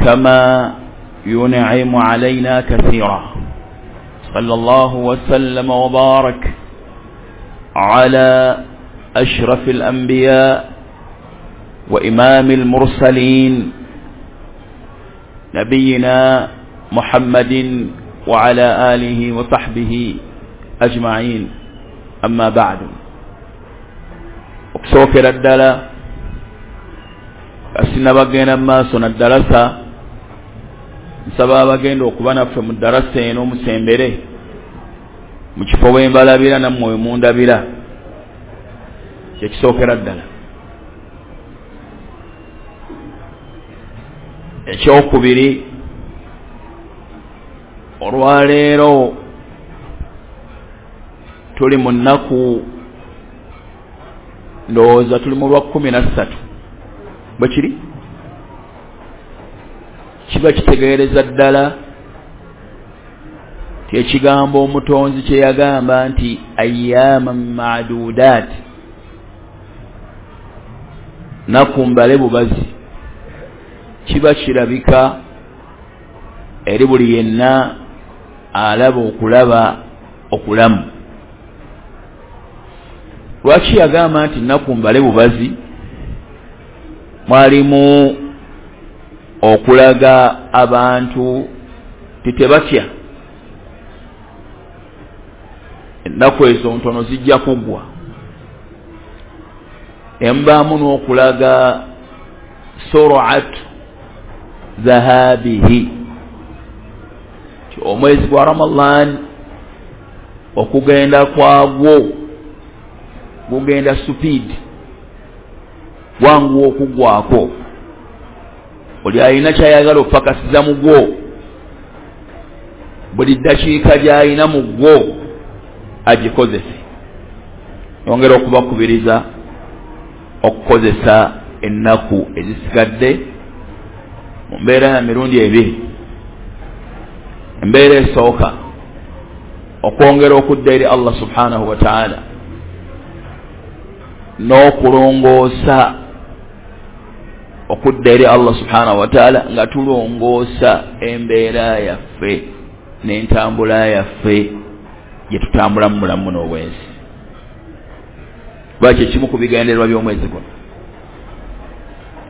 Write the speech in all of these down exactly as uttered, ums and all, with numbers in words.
كما ينعم علينا كثيرا. صلى الله وسلم وبارك على أشرف الأنبياء وإمام المرسلين نبينا محمد وعلى آله وصحبه أجمعين. أما بعد، okusookera ddala sinabagenda mu maaso na ddalasa, nsaba abagenda okuba naffe mu ddalasa eno musembere mu kifo we mbalabira nammwe we mundabira, kyekisookera ddala. Ekyokubiri, olwaleero tuli mu nnaku, ndowooza tuli mu lwa kkumi na ssatu, bwe kiri kiba kitegeereza ddala ti ekigambo omutonzi kye yagamba nti ayyaman ma'dudat, nnaku mbale bubazi, kiba kirabika eri buli yenna alaba okulaba okulamu. Lwaki yagamba nti nnaku mbale bubazi? Mwalimu okulaga abantu titebatya, ennaku ezo ntono zijja kuggwa. Embaamu n'okulaga sur'atu dhahabihi, omwezi gwa Ramadan okugenda kwagwo gugenda speed, wangu okuggwako. Oli alina kyayagala okupakasiza mu gwo, buli ddakiika gy'alina mu gwo agikozese. Yongera okubakubiriza okukozesa ennaku ezisigadde mu mbeera ya mirundi ebiri. Embeera esooka, okwongera okudda eri Allah subhanahu wa ta'ala n'okulongoosa okudda eri Allah subhanahu wa ta'ala nga tulongoosa embeera yaffe n'entambula yaffe gye tutambula mu bulamu n'obwensi. Lwaki ekimu ku bigendererwa by'omwezi guno.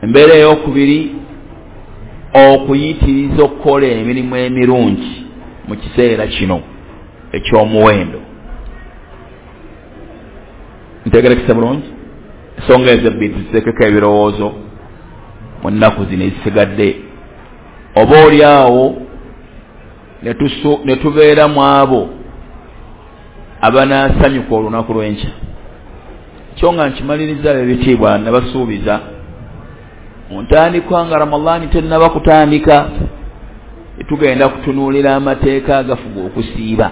Embeera ey'okubiri, okuyitiriza okukola emirimu emirungi mu kiseera kino eky'omuwendo. Ntegerekese bulungi ensonga ezo ebbiri ziteekeko ebirowoozo mu nnaku zino ezisigadde, oba oli awo ne tubeera mu abo abanaasanyuka olunaku lw'enkya. Kyo nga nkimaliriza ebitiibwa nabasuubiza mu ntandikwa nga Ramadhaani tennaba kutandika, tugenda kutunuulira amateeka agafuga okusiiba.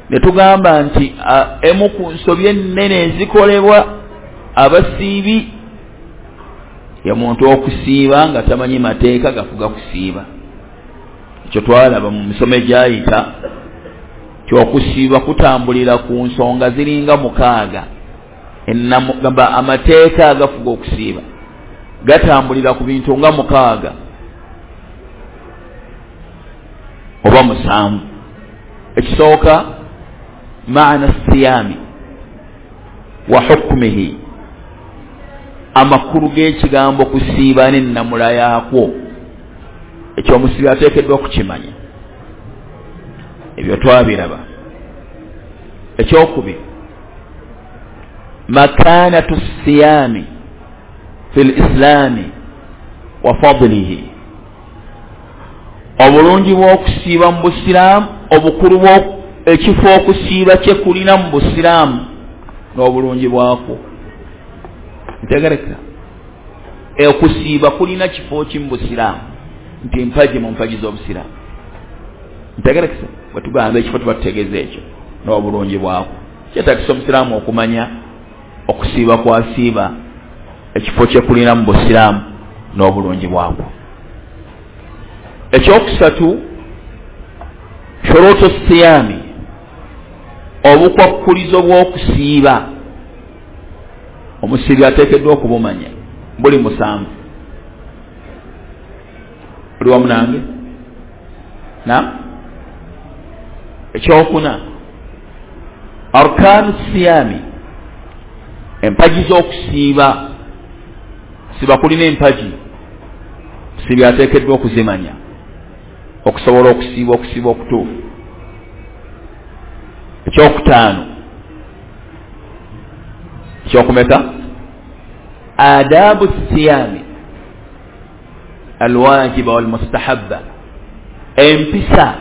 Ne tugamba nti emu ku nsobi ennene ezikolebwa abasiibi ye muntu okusiiba nga tamanyi mateeka gafuga kusiiba. Ekyo twalaba mu misomo egyayita ti okusiiba kutambulira ku nsonga ziringa mukaaga. Gamba amateeka agafuga okusiiba gatambulira ku bintu nga mukaaga oba musanvu. Ekisooka, maana siyami wa hukmihi, amakulu g'ekigambo kusiiba n'ennamula yaakwo. Ekyo omusiibi ateekeddwa okukimanya, ebyo twabiraba. Ekyokubiri, makanatu siyami fi lislaami wa fadlihi, obulungi bw'okusiiba mu busiraamu, obukulu ekifo okusiiba kye kulina mu busiraamu n'obulungi bwakwo. Ntegereka, okusiiba kulina kifo ki mu busiraamu, nti mpagi mu mpagi z'obusiraamu. Ntegerekese, bwe tugamba ekifo tuba tutegeeza ekyo n'obulungi bwakwo. Kyetaagisa omusiraamu okumanya okusiiba kwasiiba, ekifo kye kulina mu busiraamu n'obulungi bwakwo. Ekyokusatu, shurutu siyami, obukwakkulizo bw'okusiiba omusiibi ateekeddwa okubumanya, buli musanvu. Oli wamu nange? Na ekyokuna, arkanu siyami, empagi z'okusiiba. Siba kulina empagi, sibi ateekeddwa okuzimanya okusobola okusiiba okusiiba okutuufu. Ekyokutaano, ekyokumeka, adabu siyami alwajiba walmustahabba, empisa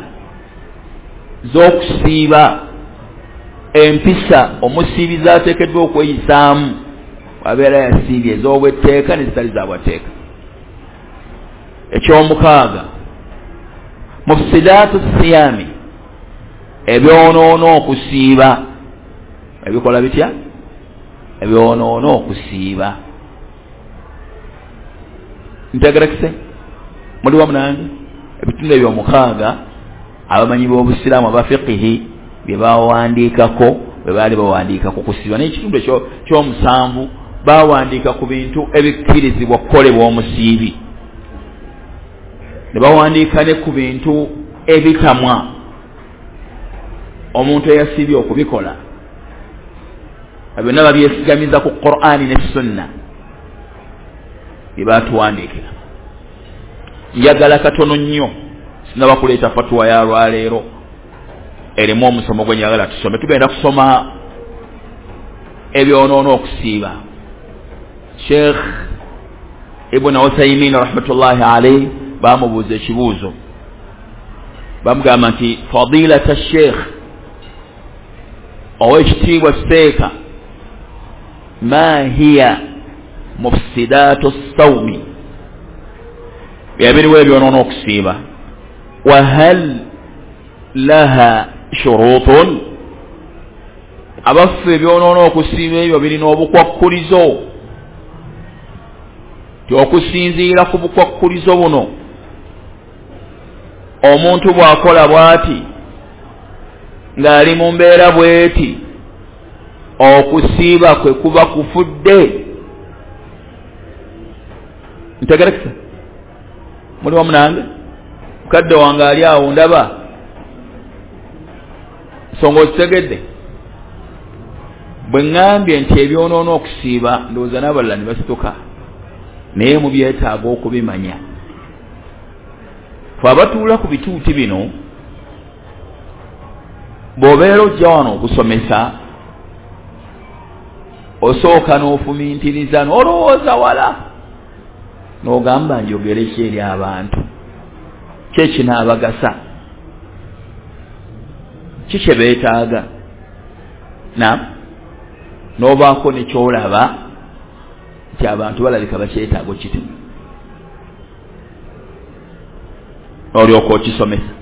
z'okusiiba, empisa omusiibi z'ateekeddwa okweyisaamu abeera yasiibye, ez'obwetteeka nezitali zabwatteeka. Ekyomukaaga, mufsidaatu siyami, ebyonoona okusiiba. Ebikola bitya? Ebyonoona okusiiba. Ntegerekese? Muli wamu nange? Ebitundu ebyomukaaga abamanyi b'obusiraamu abafiqihi bye bawandiikako bwe baali bawandiika ku kusiiba. Naye ekitundu ekyomusanvu bawandiika ku bintu ebikkirizibwa okukolebwa omusiibi, ne bawandiika ne ku bintu ebitamwa omuntu eyasiibye okubikola. Byonna babyesigamiza ku Qur'ani ne Sunna bye batuwandiikira. Njagala katono nnyo, sinaba kuleeta fatuwa ya lwaleero erimu omusomo gwe njagala tusome. Tugenda kusoma ebyonoona okusiiba. Sheikh Ibn Uthaymin rahmatullahi alayhi bamubuuza ekibuuzo, bamugamba nti fadilata sheikh, owekitiibwa seeka, ma hiya mufsidatu sawmi, byabiriwo ebyonoona okusiiba, wa hal laha shurutun, abaffe ebyonoona okusiiba ebyo birina obukwakkulizo, ti okusinziira ku bukwakkulizo buno omuntu bw'akola bw'ati ng'ali mu mbeera bw'eti okusiiba kwe kuba kufudde. Ntegerekesa? Muli wamu nange? Mukadde wange ali awo ndaba nsonga okitegedde. Bwe ŋŋambye nti ebyonoona okusiiba, ndowooza n'abalala ne basituka, naye mubyetaaga okubimanya. Ffe abatuula ku bituuti bino, bw'obeera ojja wano okusomesa, osooka n'ofumintiriza n'olowooza wala, n'ogamba njogere ki eri abantu, ki ekinaabagasa, ki kye beetaaga, na n'obaako ne ky'olaba nti abantu balabika bakyetaaga okitema, n'olyoka okisomesa.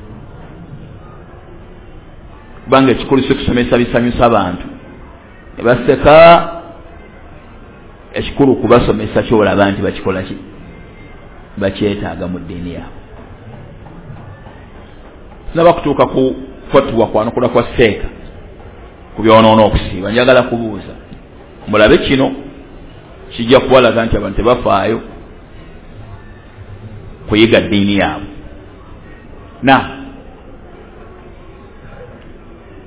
Kubanga ekikulu si kusomesa bisanyusa abantu ne baseka, ekikulu kubasomesa ky'olaba nti bakikola ki, bakyetaaga mu ddiini yaabwe. Sinaba kutuuka ku fatuwa kwanukula kwa seeka ku byonoona okusiiba, njagala kubuuza mulabe kino kijja kubalaga nti abantu tebafaayo kuyiga ddiini yaabwe. Na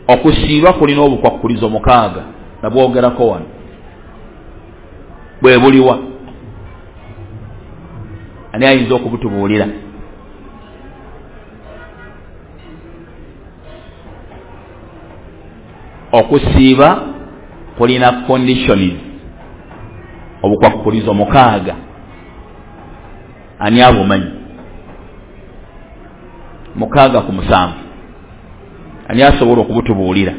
okusiiba kulina obukwakkulizo mukaaga, nabwogerako wano, bwe buliwa? Ani ayinza okubutubuulira? Okusiiba kulina conditions, obukwakkulizo mukaaga, ani abumanyi? Mukaaga ku musanvu, ani asobola okubutubuulira?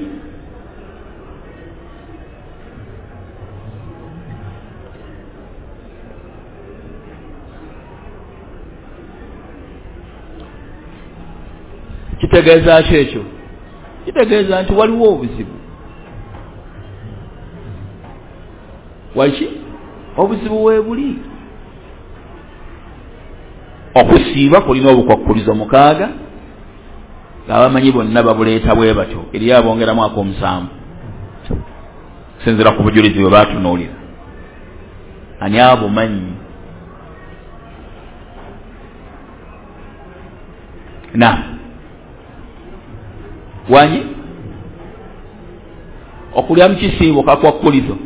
Kitegeeza ki ekyo? Kitegeeza nti waliwo obuzibu. Waki? Obuzibu weebuli. Okusiiba kulina obukwakkulizo mukaaga, ng'abamanyi bonna babuleeta bwe batyo, eri abongeramu ak'omusanvu okusinziira ku bujulizi bwe baatunuulira. Ani abumanyi? Na wanyi okulya mu kisiibo kakwakkulizo.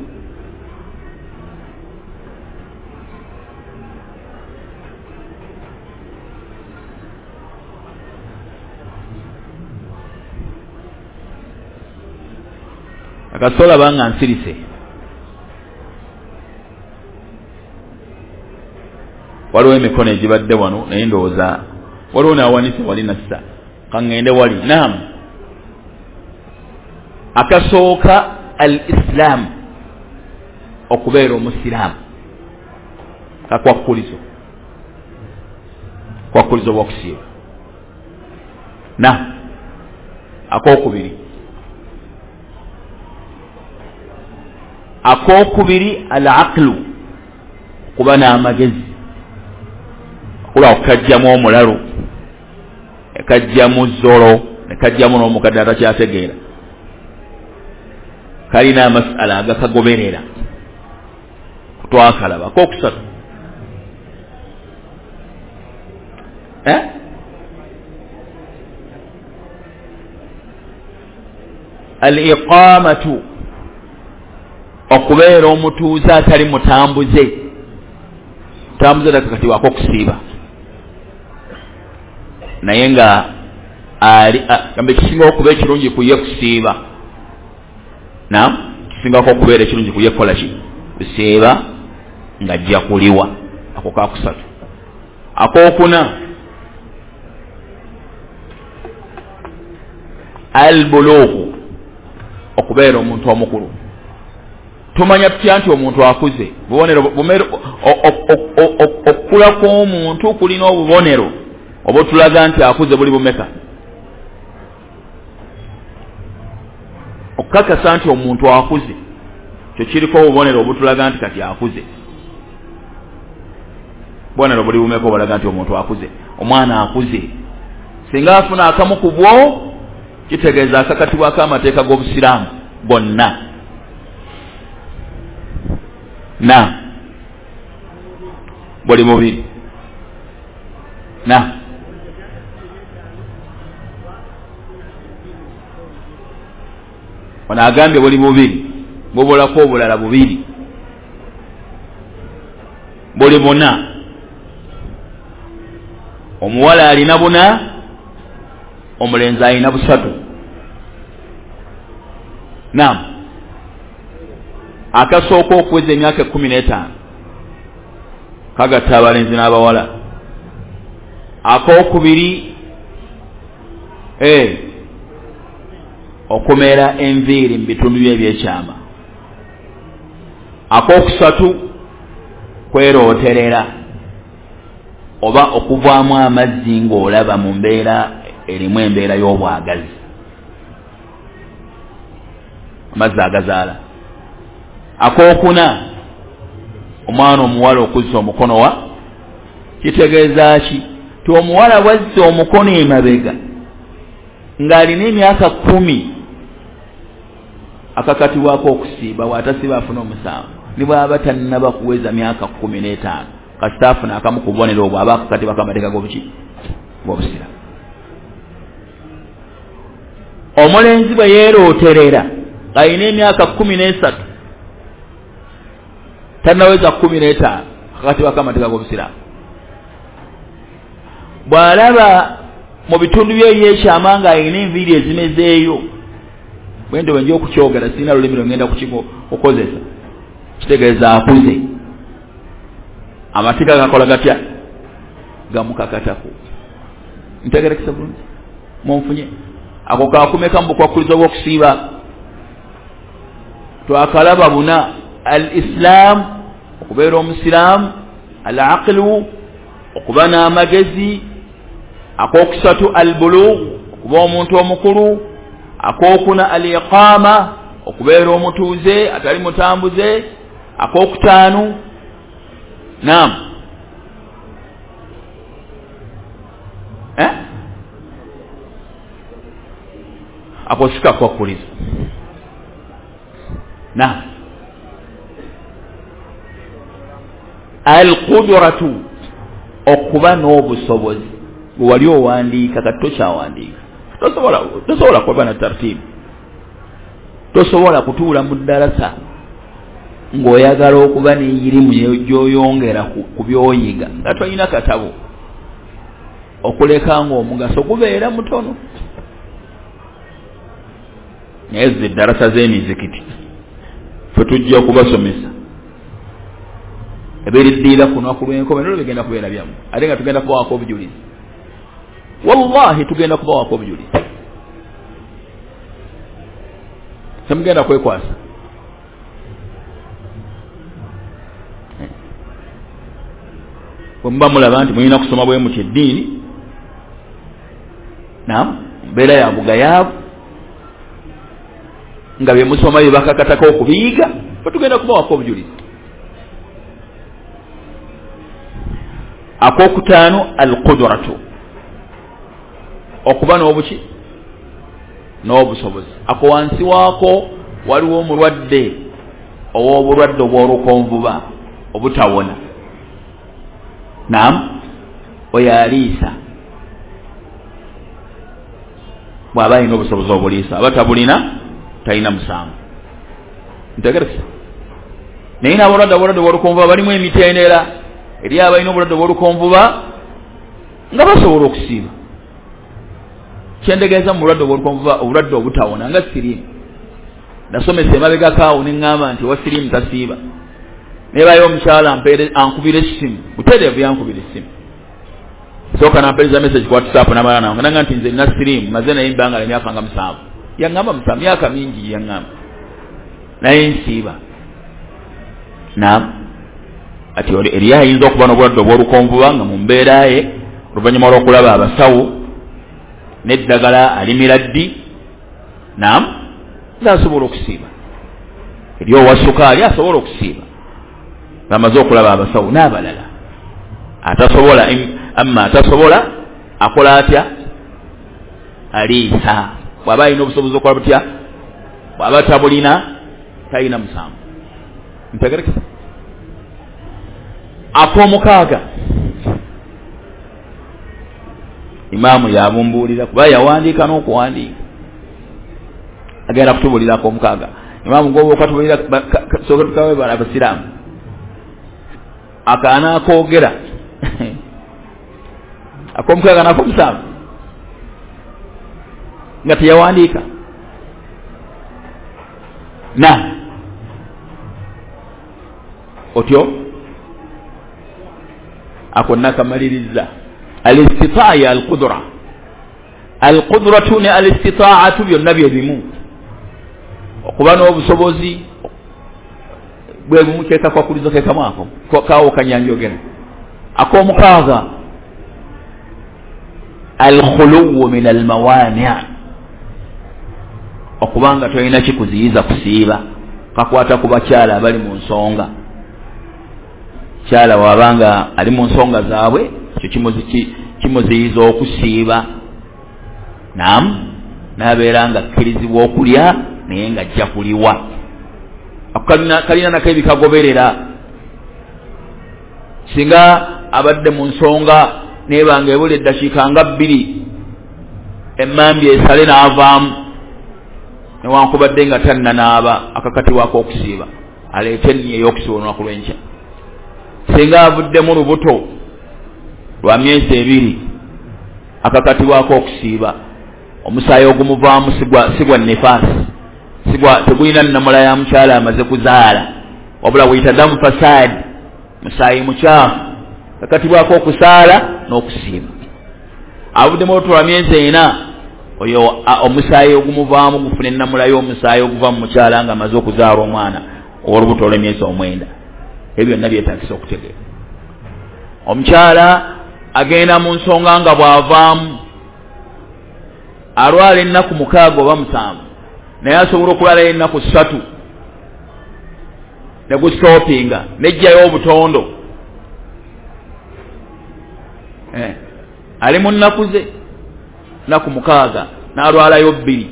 Akasola banga nsirise waliwo emikono egibadde wano naye ndowooza waliwo n'awanise wali nassa kaŋŋende wali. Naam, akasooka al islam, okubeera omusiraamu, kakwakkulizo, kwakkulizo bw'okusiiba. Na akookubiri, akookubiri al aqlu, okuba n'amagezi, okuba okukajjamu omulalu, nekajjamu zolo, nekajjamu n'omukadde atakyategeera, kalina amasala agakagoberera kutwakalaba. Akokusatu eh? al iqamatu, okubeera omutuuze atali mutambuze, mutambuze takakatibwako okusiiba, naye nga ali gambe kisinga okuba ekirungi ku ye kusiiba. Naam, kisingako okubeera ekirungi ku ye kukola ki? Kusiiba ng'ajja kuliwa. Ako kakusatu. Akookuna al bulughu, okubeera omuntu omukulu. Tumanya tutya nti omuntu akuze? Bubonero okukula kw'omuntu kulina obubonero obutulaga nti akuze buli bumeka? Okukakasa nti omuntu akuze kyo kiriko obubonero obutulaga nti kati akuze. Bubonero buli bumeka obulaga nti omuntu akuze? Omwana akuze singa afuna akamu ku bwo, kitegeeza akakatibwako amateeka g'obusiraamu gonna. Na buli mubiri. Na ono agambye buli bubiri, bubulako obulala bubiri, buli buna. Omuwala alina buna, omulenzi alina busatu. Naam, akasooka okuweza emyaka ekkumi n'etaano kagatta abalenzi n'abawala. Akookubiri eh, okumera enviiri mu bitundu bye ebyekyama. Akookusatu kwerooterera oba okuvaamu amazzi ng'olaba mu mbeera erimu embeera y'obwagazi, amazzi agazaala. Akookuna omwana omuwala okuzza omukono wa, kitegeeza ki? Ti omuwala bwazza omukono emabega ng'alina emyaka kkumi akakatibwako okusiiba, bw'atasiiba afuna omusango, ne bw'aba tannaba kuweza myaka kkumi n'etaano kasita afuna akamu ku bubonero obwo aba akakatibwako amateeka g'obuki? G'obusiraamu. Omulenzi bwe yeerooterera ng'alina emyaka kkumi n'esatu tannaweza kkumi n'etaano akakatibwako amateeka g'obusiraamu. Bw'alaba mu bitundu bye ebyekyama ng'alina enviiri ezimezeeyo, bwento bwe nja okukyogera sirina lulimi lwe ngenda kukozesa, kitegeeza akuze. Amateeka gakola gatya? Gamukakatako. Ntegerekesa bulungi? Munfunye? Ako kakumeka mu bukwakkulizo bw'okusiiba. Twakalaba buna: al islam, okubeera omusiraamu, al aqlu, okuba n'amagezi, akokusatu al bulugh, okuba omuntu omukulu, akookuna al iqama, okubeera omutuuze atali mutambuze, akookutaano naam eh? Ako si kakwakkulizo. Naam, al qudratu, okuba n'obusobozi. Gwe wali owandiika, kati tokyawandiika. Tosobola tosobola kuba na tartibu, tosobola kutuula mu ddalasa ng'oyagala okuba n'eyirimu gy'oyongera ku by'oyiga nga tolina katabo, okuleka ng'omugaso gubeera mutono. Naye zo eddarasa z'emizikiti ffe tujja okubasomesa ebiriddiira ku lunaku lw'enkomerero bigenda kubeera byammwe, ate nga tugenda kubawaako obujulizi. Wallahi tugenda kubawaako obujulizi, temugenda kwekwasa. Bwe muba mulaba nti mulina kusoma bwe muti eddiini, naam, mbeera ya bugayaavu nga bye musoma bye bakakatako okubiyiga, ffe tugenda kubawaako obujulizi. Akokutaano alqudratu, okuba n'obuki n'obusobozi. Ako wansi waako waliwo omulwadde ow'obulwadde obw'olukonvuba obutawona, naam, oyo aliisa bw'aba alina obusobozi obuliisa, aba tabulina talina musango. Ntegeresa. Naye n'abalwadde obulwadde obw'olukonvuba balimu emitendera. Eri abalina obulwadde obw'olukonvuba nga basobola okusiiba. Kyendegeeza mu bulwadde obw'olukonvuba, obulwadde obutawona nga siriimu. Nasomesa emabegako awo ne ŋŋamba nti owa siriimu tasiiba. Nebayo omukyala ankubira essimu, butereevu yankubira essimu. Sooka nampeereza message ku WhatsApp n'amala nange nanga nti nze nina siriimu, maze naye ebbanga lya myaka nga musanvu. Yaŋŋamba musanvu, myaka mingi yaŋŋamba, naye nsiiba. Naam, ati eri ayinza okuba n'obulwadde obw'olukonvuba nga mu mbeera ye oluvannyuma lw'okulaba abasawo n'eddagala alimira ddi, naam, ng'asobola okusiiba. Eri owa sukaali asobola okusiiba ng'amaze okulaba abasawo n'abalala. Atasobola, amma atasobola akola atya? Aliisa. Bw'aba alina obusobozi okukola butya, bw'aba tabulina talina musango. Ntegerekesa. Ak'omukaaga imaamu yabumbuulira kuba yawandiika n'okuwandiika, agenda kutubuulira ak'omukaaga. Imaamu gwoba okatubuulira sooka tukawe abasiraamu akaana akoogera ak'omukaaga n'ak'omusanvu nga teyawandiika. Na otyo ako nakamaliriza. Alistitaa ya alqudra, alqudratu ne alistitaatu byonna bye bimu. Okuba n'obusobozi bwe bumu, kyekakwakulizo ke kamu ako kawo kanyanjogera. Ak'omukaaga alkhuluwu min almawani, okubanga tolina kikuziyiza kusiiba. Kakwata ku bakyala abali mu nsonga. Kyala wabanga ali mu nsonga zaabwe, ekyo kimuziyiza okusiiba. Naam, n'abeera nga akkirizibwa okulya naye nga ajja kuliwa. Ako kalina nako ebikagoberera. Singa abadde mu nsonga nebanga ebula eddakiika nga bbiri emmambi esale n'avaamu, newankubadde nga tannanaaba, akakatibwako okusiiba, aleete enniya ey'okusiiba olunaku lw'enkya. Singa avuddemu lubuto lwa myezi ebiri, akakatibwako okusiiba. Omusaayi ogumuvaamu si gwa nifaasi, sigwa tegulina nnamula ya mukyala amaze kuzaala, wabula guyita damu fasaadi, musaayi mukyafu, akakatibwako okusaala n'okusiiba. Avuddemu olubuto lwa myezi ena, oyo omusaayi ogumuvaamu gufuna ennamula y'omusaayi oguva mu mukyala nga amaze okuzaala omwana ow'olubuto olw'emyezi omwenda. Ebyo byonna byetaagisa okutegeera. Omukyala agenda mu nsonga nga bw'avaamu alwala ennaku mukaaga oba musanvu, naye asobola okulwalayo ennaku ssatu ne gustopinga nejjayo obutondo. Eh, ali mu nnaku ze nnaku mukaaga n'alwalayo bbiri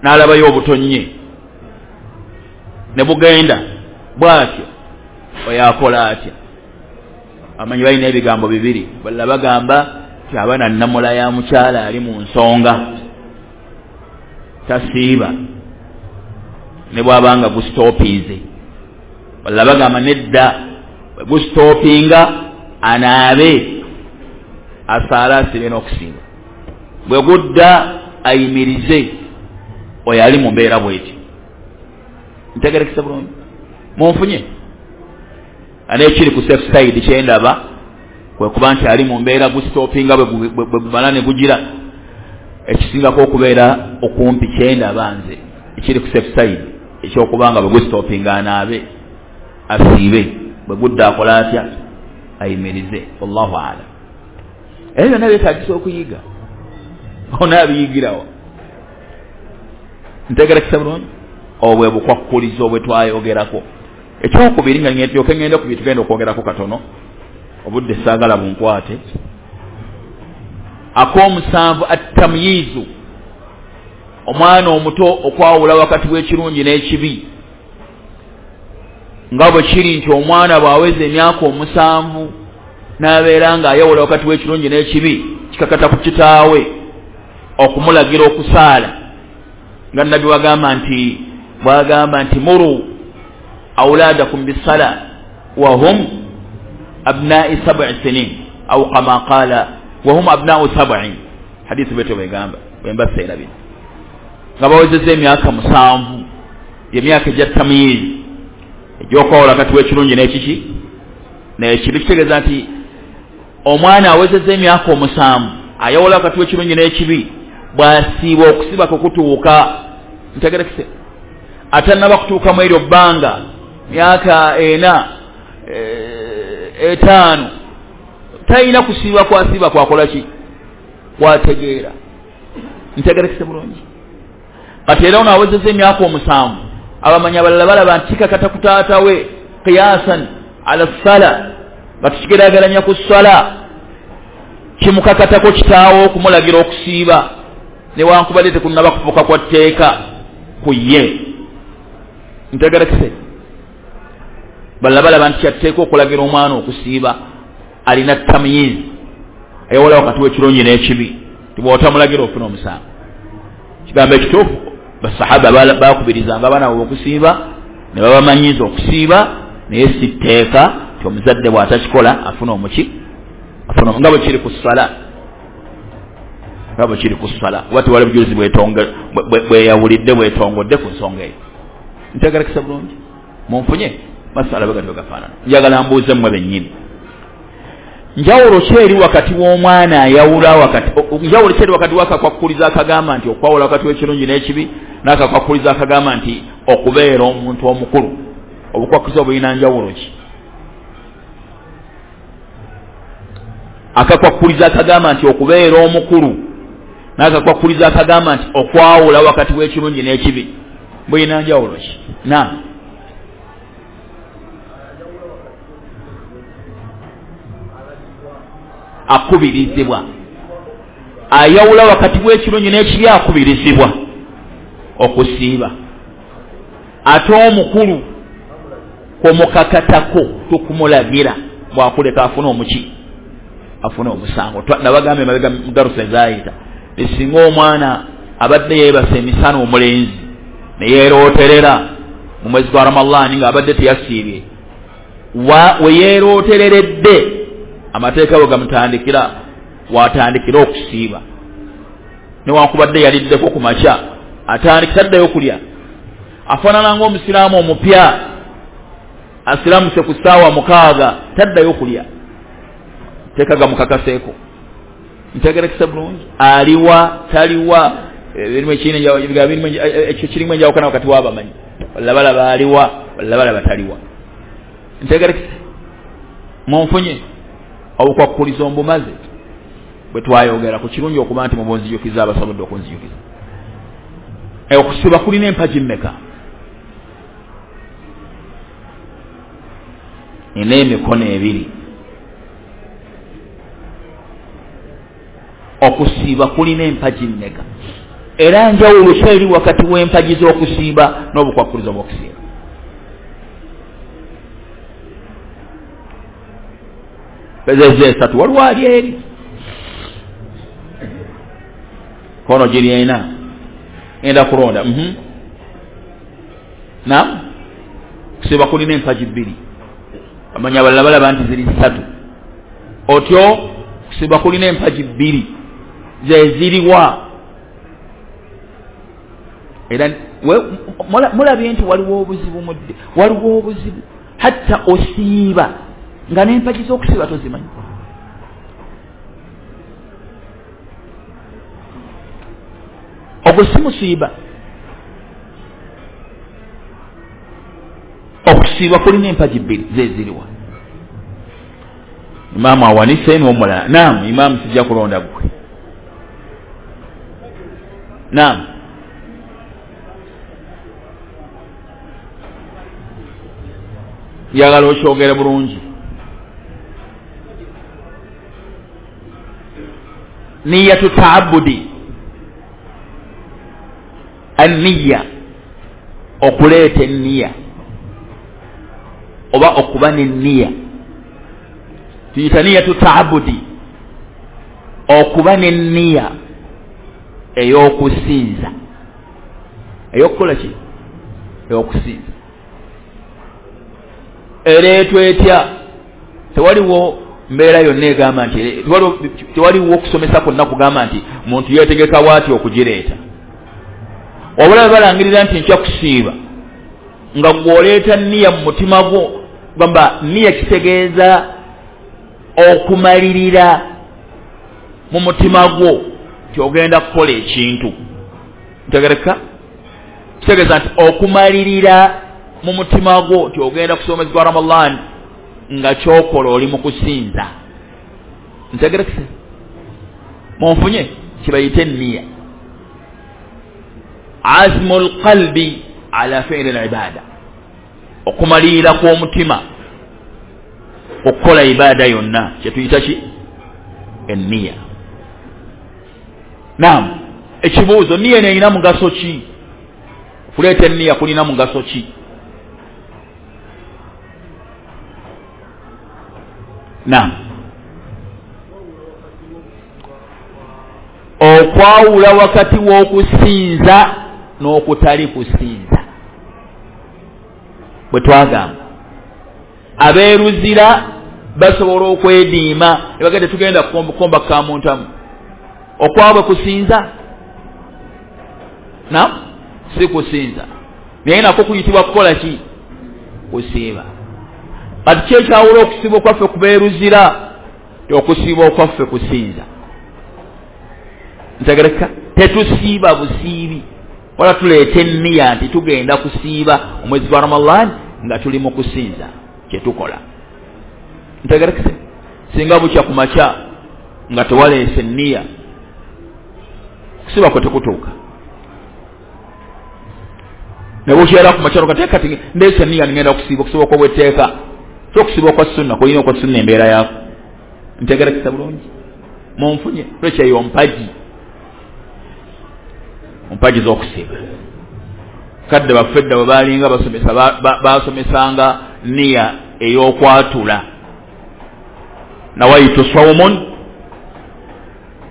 n'alabayo obutonye ne bugenda bw'atyo. Oyo akola atya? Amanyi balina ebigambo bibiri. Balala bagamba Ti abaana nnamula ya mukyala ali mu nsonga tasiiba ne bw'abanga gusitopinze. Balala bagamba nedda, gusitopinga anaabe asaala asibe n'okusiiba, bwe gudda ayimirize. Oyo ali mu mbeera bweti. Ntegerekesa bulungi? Munfunye? Ate ekiri ku safe side kyendaba kwe kuba nti ali mu mbeera gusitopinga bwe gumala ne gugira, ekisingako okubeera okumpi kyendaba nze ekiri ku safe side ekyokuba nga bwe gusitopinga anaabe asiibe, bwe gudda akola atya? Ayimirize. Wallahu a'lam. Ebyo byonna byetaagisa okuyiga, onaabiyigirawa? Ntegerekesa bulungi? Obwo bwe bukwakkulizo bwe twayogerako. Ekyokubiri nga ndyoke ngende ku bye tugenda okwogerako katono, obudde saagala bunkwate. Ak'omusanvu, attamyiizu, omwana omuto okwawula wakati w'ekirungi n'ekibi. Nga bwe kiri nti omwana bw'aweza emyaka omusanvu n'abeera ng'ayawula wakati w'ekirungi n'ekibi, kikakata ku kitaawe okumulagira okusaala, nga Nabbi wagamba nti bw'agamba nti muru auladakum bisala wa hum abnai sab'i sinin au kama qala wa hum abnau sab'in. Hadithi bwetyo bwegamba, bwemba seerabira, nga bawezezza emyaka musanvu, emyaka egya tamyiizi egy'okwawula wakati w'ekirungi n'ekiki n'ekibi. Kitegeeza nti omwana awezezza emyaka omusanvu ayawula wakati w'ekirungi n'ekibi, bw'asiiba okusiba kwe kutuuka. Ntegerekese? Atannaba kutuukamu eryo bbanga myaka ena etaano, talina kusiiba kwasiiba kwakola ki? Kwategeera. Ntegerekese bulungi? Kati era ono awezezza emyaka omusanvu, abamanyi abalala balaba nti kikakata ku taata we qiyasan ala ssala, nga tukigeraageranya ku ssala, kimukakatako kitaawe okumulagira okusiiba newankubadde tekunnaba kufuuka kwa tteeka ku ye. Ntegerekese? Balala balaba nti kyatteeka okulagira omwana okusiiba alina tamyiizi, ayawula wakati w'ekirungi n'ekibi, tibw'otamulagira ofuna omusango. Kigambo ekituufu, basahaba bakubirizanga abaana baabwe okusiiba ne babamanyiiza okusiiba, naye si tteeka nti omuzadde bw'atakikola afuna omuki afuna, nga bwe kiri ku ssala, nga bwe kiri ku ssala, kuba tewali bujulizi bweyawulidde bwetongodde ku nsonga eyo. Ntegerekesa bulungi? Munfunye? Masala bwe gatyo gafaanana. Njagala mbuuze mmwe bennyini, njawulo ki eri wakati w'omwana ayawula wakati, njawulo ki eri wakati w'akakwakkulizo akagamba nti okwawula wakati w'ekirungi n'ekibi n'akakwakkulizo akagamba nti okubeera omuntu omukulu? Obukwakkulizo bulina njawulo ki? Akakwakkulizo akagamba nti okubeera omukulu n'akakwakkulizo akagamba nti okwawula wakati w'ekirungi n'ekibi bulina njawulo ki? Na akubirizibwa, ayawula wakati w'ekirungi n'ekibi akubirizibwa okusiiba, ate omukulu kumukakatako tukumulagira bw'akuleka afune omuki afune omusango. Nabagambye emabega mu darusa ezaayita, singa omwana abadde yeebasa emisana omulenzi ne yeerooterera mu mwezi gwa Ramadaani ng'abadde teyasiibye, we yeerootereredde amateeka bwe gamutandikira watandikira okusiiba, newankubadde yaliddeko ku makya atandika taddayo kulya. Afaanana ng'omusiraamu omupya asiramuse ku ssaawa mukaaga taddayo kulya, teeka gamukakaseeko. Ntegerekesa bulungi? Aliwa taliwa, ekyo kirimu enjawukana wakati w'abamanyi, balala balaba aliwa, balala balaba taliwa. Ntegerekesa? Munfunye? Obukwakkulizo mbumaze bwe twayogera ku kirungi okuba nti mubunzijukiza abasobodde okunzijukiza. Okusiba kulina empagi mmeka? Nina emikono ebiri. Okusiiba kulina empagi mmeka? Era njawulo ki eri wakati w'empagi z'okusiiba n'obukwakkulizo bw'okusiiba? Pezeza esatu, waliwo ali eri. Kono giri ena ngenda kulonda. Mhm, nam kusiiba kulina empagi bbiri, amanya abalala balaba nti ziri ssatu. Otyo kusiiba kulina empagi bbiri zeziriwa. Era mulabye nti waliwo obuzibu mudde, waliwo obuzibu hatta osiiba nga n'empagi z'okusiiba tozimanyi. Ogwo si musiiba. Okusiiba kulina empagi bbiri zeziriwa. Imaamu awanise n'omulala. Naam, imaamu sijja kulonda gwe. Naam, njagala okyogere bulungi. Niyatu taabudi, anniya, okuleeta enniya oba okuba n'enniya, tuyita niyatu taabudi, okuba n'enniya ey'okusinza. Ey'okukola ki? Ey'okusinza. Ereetwa etya? Tewaliwo mbeera yonna egamba nti, tewaliwo okusomesa kwonna kugamba nti muntu yeetegeka bw'ati okugireeta. Wabula balangirira nti nkya kusiiba, nga gw'oleeta nniya mu mutima gwo. Gamba nniya kitegeeza okumalirira mu mutima gwo nti ogenda kukola ekintu. Ntegereka? Kitegeeza nti okumalirira mu mutima gwo nti ogenda kusoma omwezi gwa Ramadan nga kyokola oli mu kusinza. Ntegerekese? Munfunye? Kibayite nniya, azmu lqalbi ala fiili libada, okumalirira kw'omutima okukola ibaada yonna, kyetuyita ki? Enniya. Naam, ekibuuzo, nniya eno erina mugaso ki? Okuleeta enniya kulina mugaso ki? Naam, okwawula wakati w'okusinza n'okutali kusinza. Bwe twagamba abeeruzira basobola okwediima ne bagenda tugenda kukomba kamuntamu, okwabwe kusinza? Naam, si kusinza, naye nako kuyitibwa kukola ki? Kusiiba. Kati ki ekyawula okusiiba okwaffe kubeeruzira? Okusiiba okwaffe kusinza. Ntegereka? Tetusiiba busiibi, wala tuleeta enniya nti tugenda kusiiba omwezi gwa Ramadan nga tuli mu kusinza kyetukola. Ntegerekese? Singa bukya ku makya nga tewaleese enniya, okusiiba kwe tekutuuka. Ne bukyera ku makya kati kati ndeese enniya ngenda kusiiba, okusiiba okw'obwetteeka, si okusiiba okwa sunna, kulina okwa sunna embeera yaako. Ntegerekesa bulungi? Munfunye? Lwekyo eyo mpagi, mpagi z'okusiiba. Kadde baffe edda bwe baalinga basomesa, baasomesanga nniya ey'okwatula. Nawaitu sawmun,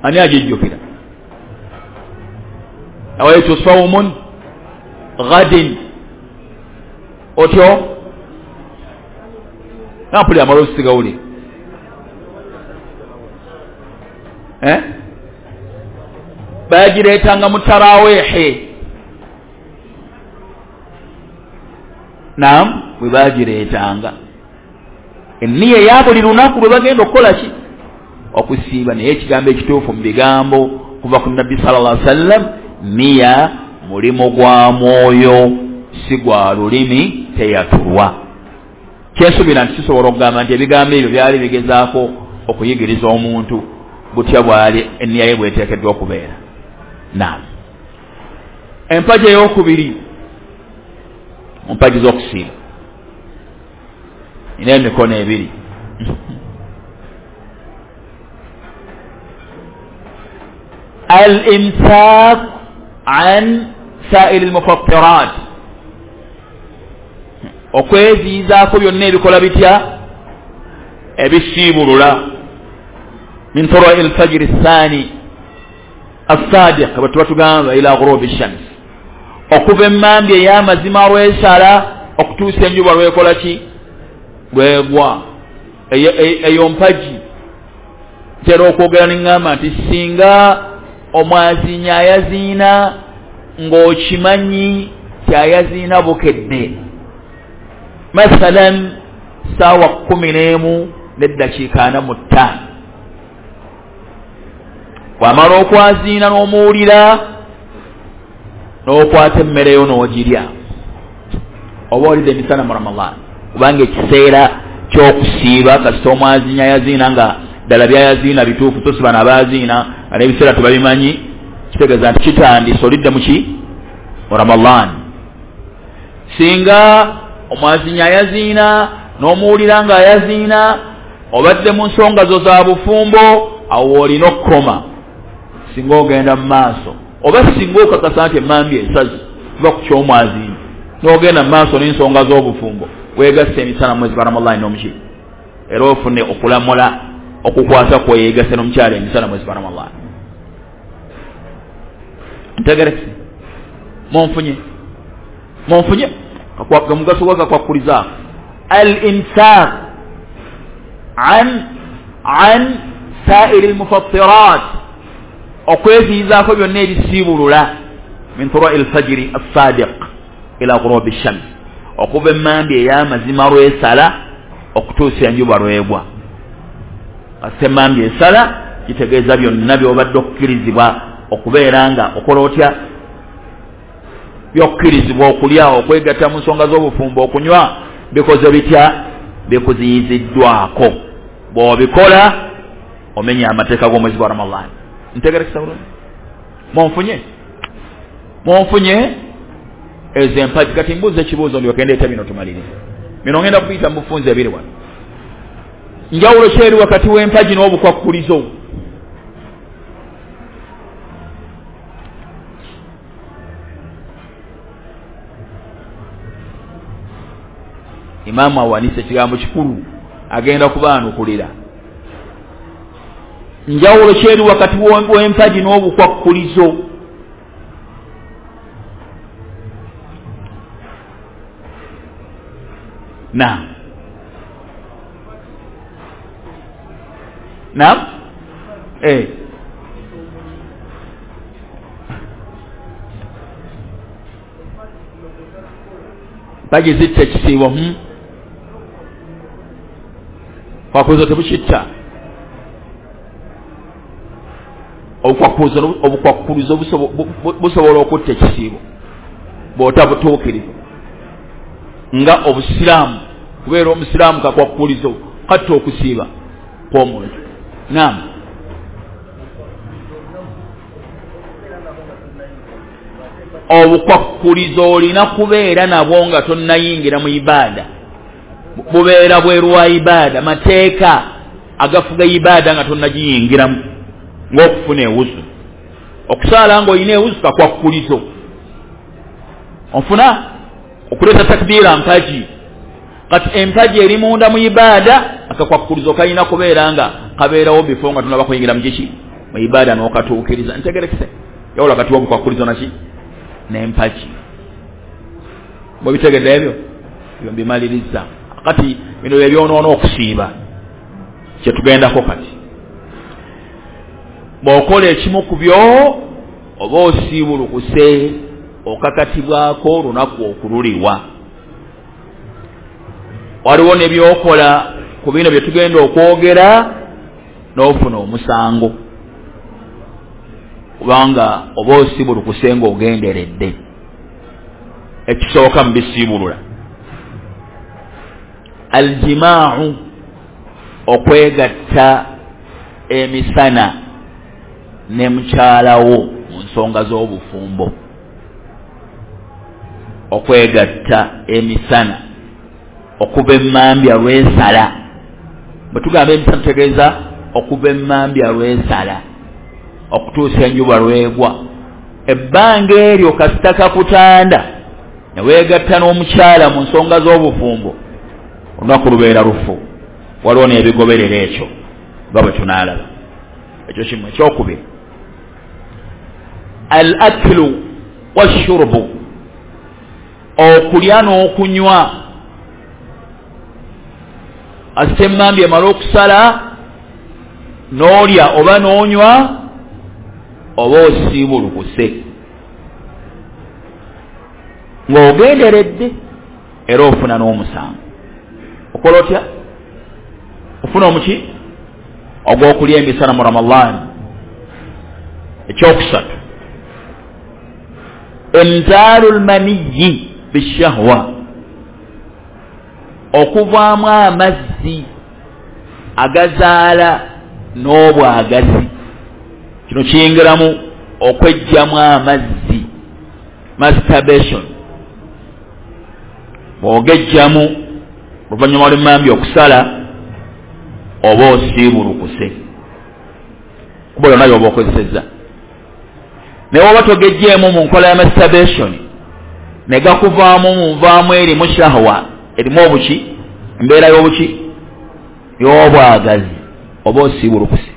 ani agijjukira? Nawaitu sawmun ghadin. Otyo nampulira amaloboozi sigawulira. Eh? Bagireetanga mu taraweehe. Naam, bwe bagireetanga enniya eya buli lunaku lwe bagenda okukola ki? Okusiiba. Naye ekigambo ekituufu mu bigambo kuva ku Nabbi sallallahu alaihi wasallam, nniya mulimu gwa mwoyo si gwa lulimi, teyatulwa. Kyensuubira nti kisobola okugamba nti ebigambo ebyo byali bigezaako okuyigiriza omuntu butya bwali enniya ye bweteekeddwa okubeera. Naam, empagi ey'okubiri mu mpagi z'okusiiba ina emikono ebiri. Al imsak an sairi lmufattirat, okweziyizaako byonna ebikola bitya? Ebisiibulula. Min turai lfajiri thani Assadiq bwe tuba tugamba ila ghurubi shams, okuva emmambi ey'amazima lwesala okutuusa enjuba lwekola ki, lwegwa. Eyo mpagi ntera okwogera neŋŋamba nti singa omwaziinyi ayaziina ng'okimanyi kyayaziina bukedde, mathalan saawa kkumi n'emu n'eddakiika ana mu ttaano, bw'amala okwaziina n'omuwulira n'okwata emmere yo n'ogirya, oba olidde emisana mu Ramadan, kubanga ekiseera ky'okusiiba kasita omwaziinyi ayaziina nga ddala byayaziina bituufu, so si bano abaaziina nga n'ebiseera tebabimanyi, kitegeeza nti kitandise olidde muki mu Ramadan. Singa omwaziinyi ayaziina n'omuwulira nga ayaziina, obadde mu nsonga zo za bufumbo, awo olina okukoma. Singa ogenda mu maaso oba singa okakasa nti emmambi esazi tuba ku ky'omwaziinyi n'ogenda mu maaso n'ensonga z'obufumbo, weegasse emisana mwezi gwa Ramadan n'omuki, era ofune okulamula okukwata kweyegasse n'omukyala emisana mwezi gwa Ramadan. Ntegerekese? Munfunye? Munfunye? Omugaso gwakakwakulizaako al imsak an an sairi lmufattirat, okweziyizaako byonna ebisiibulula min turai lfajiri assadiq ila ghurubi shams, okuva emmambi ey'amazima lwesala okutuusa enjuba lwegwa. Kasita emmambi esala kitegeeza byonna by'obadde okukkirizibwa okubeera nga okola otya, byokkirizibwa okulya, okwegatta mu nsonga z'obufumbo, okunywa, bikoze bitya, bikuziyiziddwako. Bw'obikola omenya amateeka g'omwezi gwa Ramadan. Ntegerekesa bulungi? Munfunye? Munfunye? Ezo empagi. Kati mbuuza ekibuuzo ndyoke ndeeta bino tumalire. Bino ngenda kuyita mu bufunze ebiri wano. Njawulo ki eri wakati w'empagi n'obukwakkulizo? Imaamu awanise ekigambo kikulu, agenda kubaanukulira. Njawulo ki eri wakati w'empagi n'obukwakkulizo? Naam, naam, eh, mpagi zitta ekisiibo, hmm? Kwakkulizo tebukitta. Obukwakkulizo busobola okutta ekisiibo bw'otabutuukiriza, nga obusiraamu kubeera omusiraamu kakwakkulizo katta okusiiba kw'omuntu. Naam, obukwakkulizo olina kubeera nabwo nga tonnayingira mu ibaada, bubeera bweru wa ibaada, mateeka agafuga ibaada nga tonnagiyingiramu, ng'okufuna ewuzu, okusaala ng'olina ewuzu kakwakkulizo, onfuna okuleeta takbiira mpagi. Kati empagi eri munda mu ibaada, akakwakkulizo kalina kubeera nga kabeerawo bifo nga tunaba kuyingira mu kiki, mu ibaada n'okatuukiriza. Ntegerekese? Yawula kati w'obukwakkulizo naki n'empagi. Bwebitegedde ebyo ebyo mbimaliriza. Kati bino bye byonoona okusiiba kyetugendako kati. Bw'okola ekimu ku byo oba osiibulukuse, okakatibwako olunaku okululiwa. Waliwo ne byokola ku bino bye tugenda okwogera n'ofuna omusango, kubanga oba osiibulukuse ng'ogenderedde. Ekisooka mu bisiibulula, aljimaau, okwegatta emisana ne mukyalawo mu nsonga z'obufumbo. Okwegatta emisana okuva emmambya lwesala. Bwe tugamba emisana tutegeeza okuva emmambya lwesala okutuusa enjuba lwegwa. Ebbanga eryo kasita kakutanda ne weegatta n'omukyala mu nsonga z'obufumbo, olunaku lubeera lufu. Waliwo n'ebigoberera ekyo nga bwe tunaalaba. Ekyo kimu. Ekyokubiri, Al aklu washurubu, okulya n'okunywa. Ate emmambi emala okusala n'olya oba n'onywa oba osiibulukuse ng'ogenderedde, era ofuna n'omusango. Okola otya? Ofuna omuki ogw'okulya emisana mu Ramadhan. Ekyokusatu, inzaalu lmaniyi bishahwa, okuvaamu amazzi agazaala n'obwagazi. Kino kiyingiramu okwejjamu amazzi, masturbation. Bw'ogejjamu oluvannyuma lw'emmambi okusala oba osiibulukuse, kuba yonna y'oba okozesezza. Naye oba togejjeemu mu nkola ya masturbation ne gakuvaamu mu nvaamu erimu shahwa, erimu obuki, embeera y'obuki y'obwagazi, oba osiibulukuse,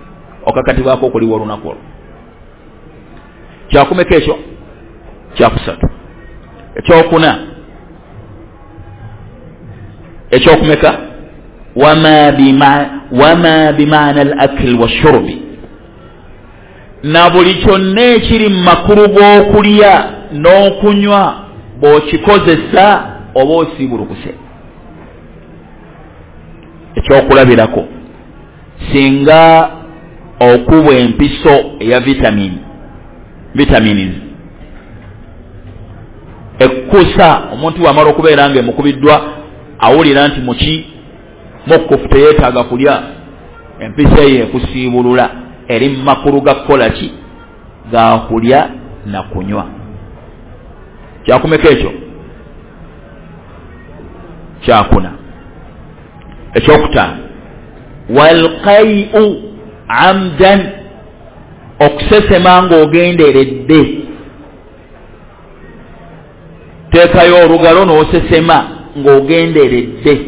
okakatibwako okuliwa olunaku olwo. Kyakumeka ekyo? Kyakusatu. Ekyokuna, ekyokumeka, wama bima wama bimaana al akl washurubi, na buli kyonna ekiri mu makulu g'okulya n'okunywa bw'okikozesa oba osiibulukuse. Ekyokulabirako, singa okubwa empiso eya vitamini vitamins ekkusa, omuntu bw'amala okubeera nga emukubiddwa awulira nti muki mukkufu, teyeetaaga kulya, empiso eyo ekusiibulula, eri mu makulu ga kukola ki? Ga kulya na kunywa. Kyakumeka ekyo? Kyakuna. Ekyokutaano, walqai'u amdan, okusesema ng'ogenderedde. Teekayo olugalo n'osesema ng'ogenderedde,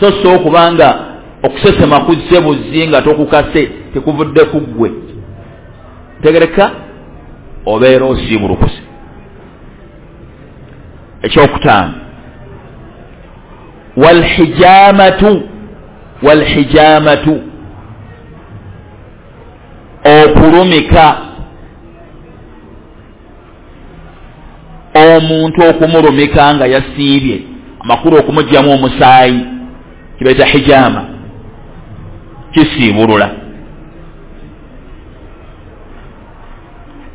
so so okubanga okusesema kuzze buzzi nga tokukase, tekuvudde ku ggwe. Tegereka, obeera osiibulukuse. Ekyokutaano, walhijamatu walhijamatu, okulumika omuntu, okumulumika nga yasiibye, amakulu okumugyamu omusaayi, kibayita hijama, kisiibulula.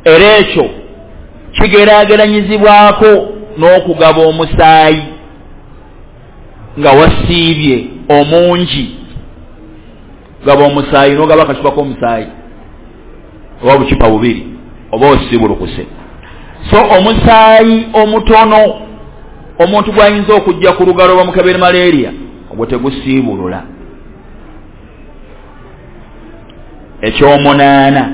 Era ekyo kigeraageranyizibwako n'okugaba omusaayi nga wasiibye omungi. Gaba omusaayi n'ogaba akacupa k'omusaayi oba bucupa bubiri, oba osiibulukuse. So omusaayi omutono omuntu gw'ayinza okujja ku lugalo bamukebere malaria, ogwo tegusiibulula. Ekyomunaana,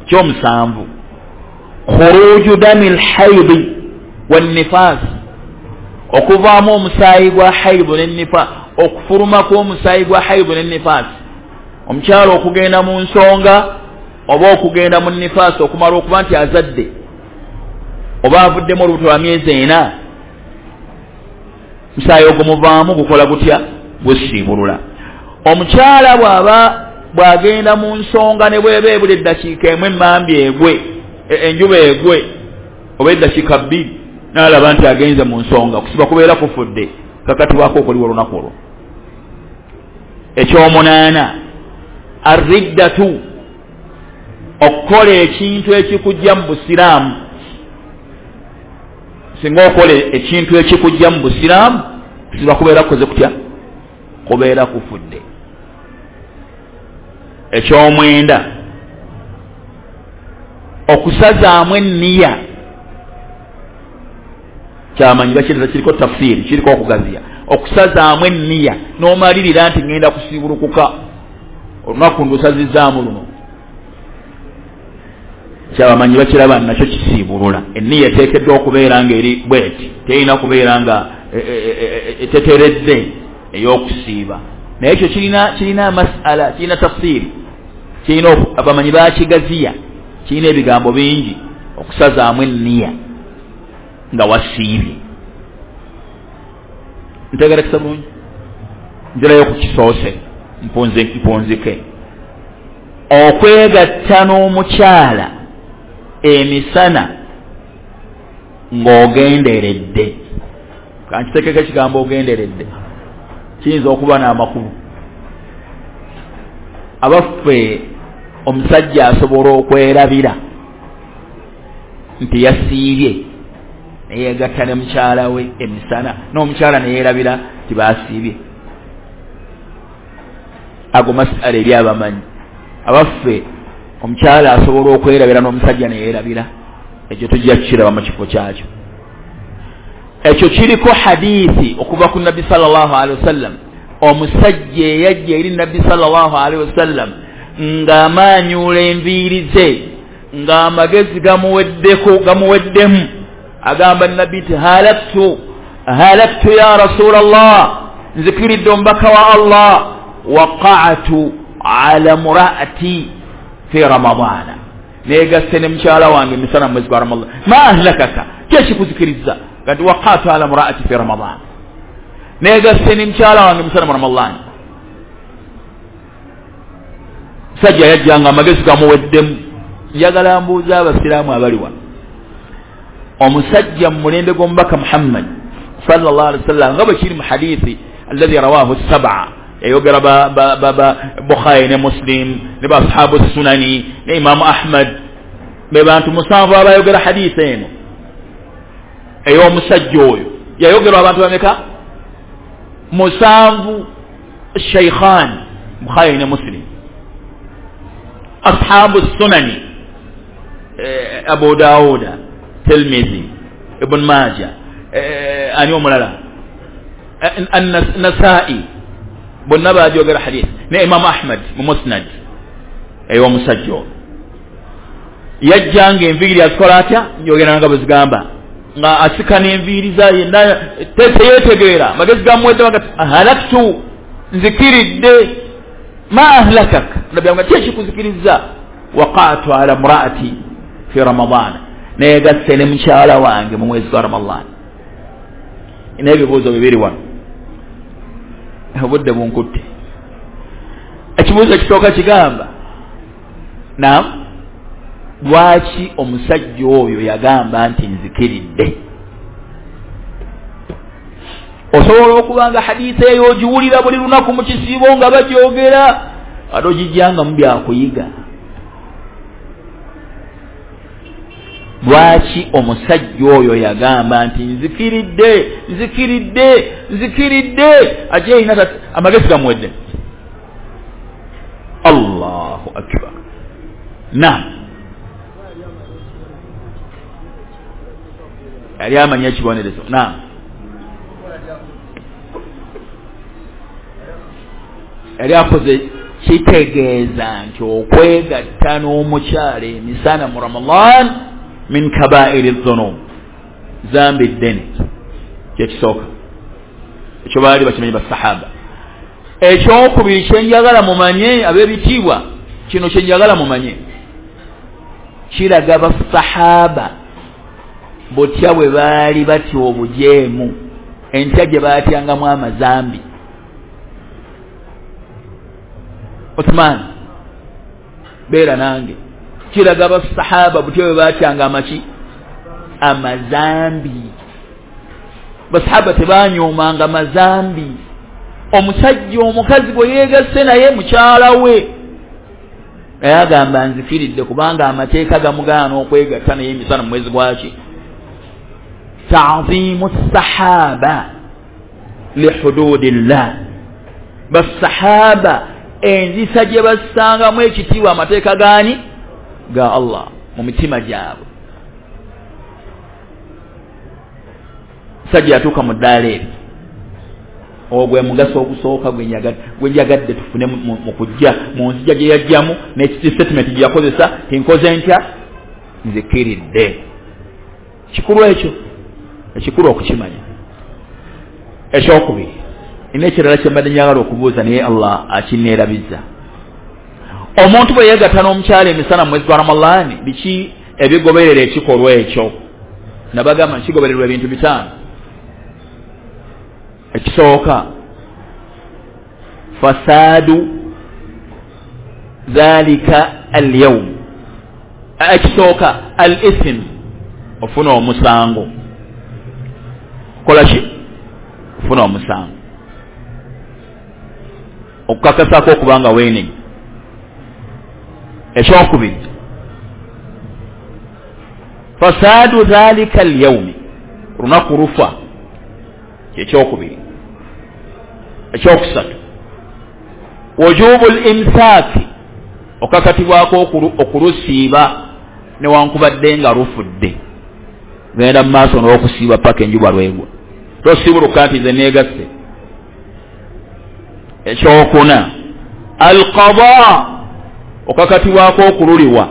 ekyomusanvu, khuruju dami lhaidi wannifas, okuvaamu omusaayi gwa haidu nennifa, okufuluma kw'omusaayi gwa haidu nennifaasi. Omukyala okugenda mu nsonga oba okugenda mu nifaasi okumala okuba nti azadde oba avuddemu olubuto lwa myezi ena, musaayi ogumuvaamu gukola gutya? Gusiibulula. Omukyala bw'aba bw'agenda mu nsonga ne bw'eba ebula eddakiika emu emmambi egwe, enjuba egwe, oba eddakiika bbiri, n'alaba nti agenze mu nsonga, kusiba kubeera kufudde, kakatibwako okuliwa olunaku olwo. Ekyomunaana, arriddatu, okukola ekintu ekikujja mu busiraamu. Singa okola ekintu ekikujja mu busiraamu, kusiba kubeera kukoze kutya? Kubeera kufudde. Ekyomwenda, okusazaamu enniya. Kyamanyi bakireta, kiriko tafsiri, kiriko okugaziya. Okusazaamu enniya n'omalirira nti ngenda kusiibulukuka olunaku ndusazizaamu luno, kyabamanyi bakiraba nakyo kisiibulula. Enniya eteekeddwa okubeera nga eri bweti, terina kubeera nga eteteredde ey'okusiiba. Naye ekyo kirina kirina masala, kirina tafsiri, kirina abamanyi bakigaziya. Kirina ebigambo bingi okusazaamu enniya nga wasiibye. Ntegerekesa bulungi? Nzirayo ku kisoose mpunzike. Okwegatta n'omukyala emisana ng'ogenderedde. Kankitekeko ekigambo ogenderedde, kiyinza okuba n'amakulu. Abaffe, omusajja asobola okwerabira nti yasiibye neyeegatta ne mukyala we emisana, n'omukyala neyeerabira nti baasiibye. Ago masala eri abamanyi. Abaffe, omukyala asobola okwerabira n'omusajja neyeerabira, ekyo tujja kukiraba mu kifo kyakyo. Ekyo kiriko hadithi okuva ku Nabbi sallallahu alaihi wasallam. Omusajja eyajja eri Nabbi sallallahu alaihi wasallam ng'amaanyula enviiri ze, ng'amagezi gamuweddeko gamuweddemu, agamba Nabbi nti halaktu halaktu ya Rasulallah, nzikiridde omubaka wa Allah, waqa'atu ala mura'ati fi Ramadana, neegasse ne mukyala wange emisana mu mwezi gwa Ramadan. Ma ahlakaka, ki ekikuzikiriza? Kati waqa'atu ala mura'ati fi Ramadan, neegasse ne mukyala wange emisana mu Ramadan. Musajja yajjanga amagezi gamuweddemu. Njagala mbuuza abasiraamu abali wano, omusajja mu mulembe gw'omubaka Muhammad sallallahu alaihi wasallam, nga bwe kiri mu hadithi alladhi rawahu sab'a, yayogera ba, ba, ba, ba Bukhari ne Muslim ne ba ashabu sunani ne Imamu Ahmad, be bantu musanvu abayogera hadithi eno ey'omusajja oyo. Yayogerwa abantu bameka? Musanvu. Shaykhan, Bukhari ne Muslim, ashabu sunani, eh, Abu Dawuda, Tirmidhi, Ibn Majah, eh, ani omulala, An-Nasa'i, bonna baajogera hadith, ne Imam Ahmad mu Musnad ey'omusajja oyo. Yajjanga enviiri azikola atya? Njogera nga bwe zigamba, nga asika n'enviiri za yenna, teyeetegeera, amagezi gamuwedde, bagati halaktu, nzikiridde. Ma ahlakak, Nabbi amugamba ki ekikuzikiriza? Waqa'tu ala mura'ati fi Ramadan, neegasse ne mukyala wange mu mwezi gwa Ramadan. N'ebibuuzo bibiri wano, obudde bunkutte. Ekibuuzo ekisooka kigamba, naam, lwaki omusajja oyo yagamba nti nzikiridde? Osobola okuba nga hadithi eyo ogiwulira buli lunaku mu kisiibo nga bagyogera, ate ogijjangamu byakuyiga. Lwaki omusajja oyo yagamba nti nzikiridde, nzikiridde, nzikiridde? Ate erina amagezi gamuwedde. Allahu akbar. Naam, yali amanyi ekibonerezo. Naam, yali akoze kitegeeza nti okwegatta n'omukyala emisana mu Ramadan min kabairi dhunub, zambi ddene. Kyekisooka ekyo baali bakimanyi basahaba. Ekyokubiri kyenjagala mumanye ab'ebitiibwa, kino kyenjagala mumanye, kiraga basahaba butya bwe baali batya obujeemu, entya gye baatyangamu amazambi. Uthman beera nange, kiraga basahaba butya bwe baatyanga amaki? Amazambi. Basahaba tebanyoomanga mazambi. Omusajja omukazi gwe yeegasse naye mukyala we, naye agamba nzikiridde kubanga amateeka gamugaana okwegatta naye emisana mu mwezi gwaki. Ta'zimu sahaba lihududillah, basahaba enzisa gye bassangamu ekitiibwa amateeka gaani? Ga Allah mu mitima gyabwe. Musajja yatuuka mu ddaala eryo. Ogwo mugaso ogusooka gwe njagadde tufune mu kujja mu nzija gye yajjamu n'ekitatement gye yakozesa, tinkoze ntya, nzikiridde. Kikulu ekyo, ekikulu okukimanya. Ekyokubiri, ina ekirala kye mbadde njagala okubuuza naye Allah akinneerabizza. Omuntu bwe yeegatta n'omukyala emisana mu mwezi gwa Ramadaani, biki ebigoberera ekikolwa ekyo? Nabagamba kigobererwa ebintu bitaano. Ekisooka, fasadu dhalika alyawm. Ekisooka, al ithm, ofuna omusango. Kola ki? Ofuna omusango, okukakasako okubanga weenenya. Ekyokubiri, fasadu dhalika alyawmi, lunaku lufa, kyekyokubiri. Ekyokusatu, wujubu limsaaki, okakatibwako okulusiiba newankubadde nga lufudde. Genda mu maaso n'okusiiba paka enjuba lwegwa, tosiibuluka nti ze neegasse. Ekyokuna, alqada, okakatibwako okululiwa.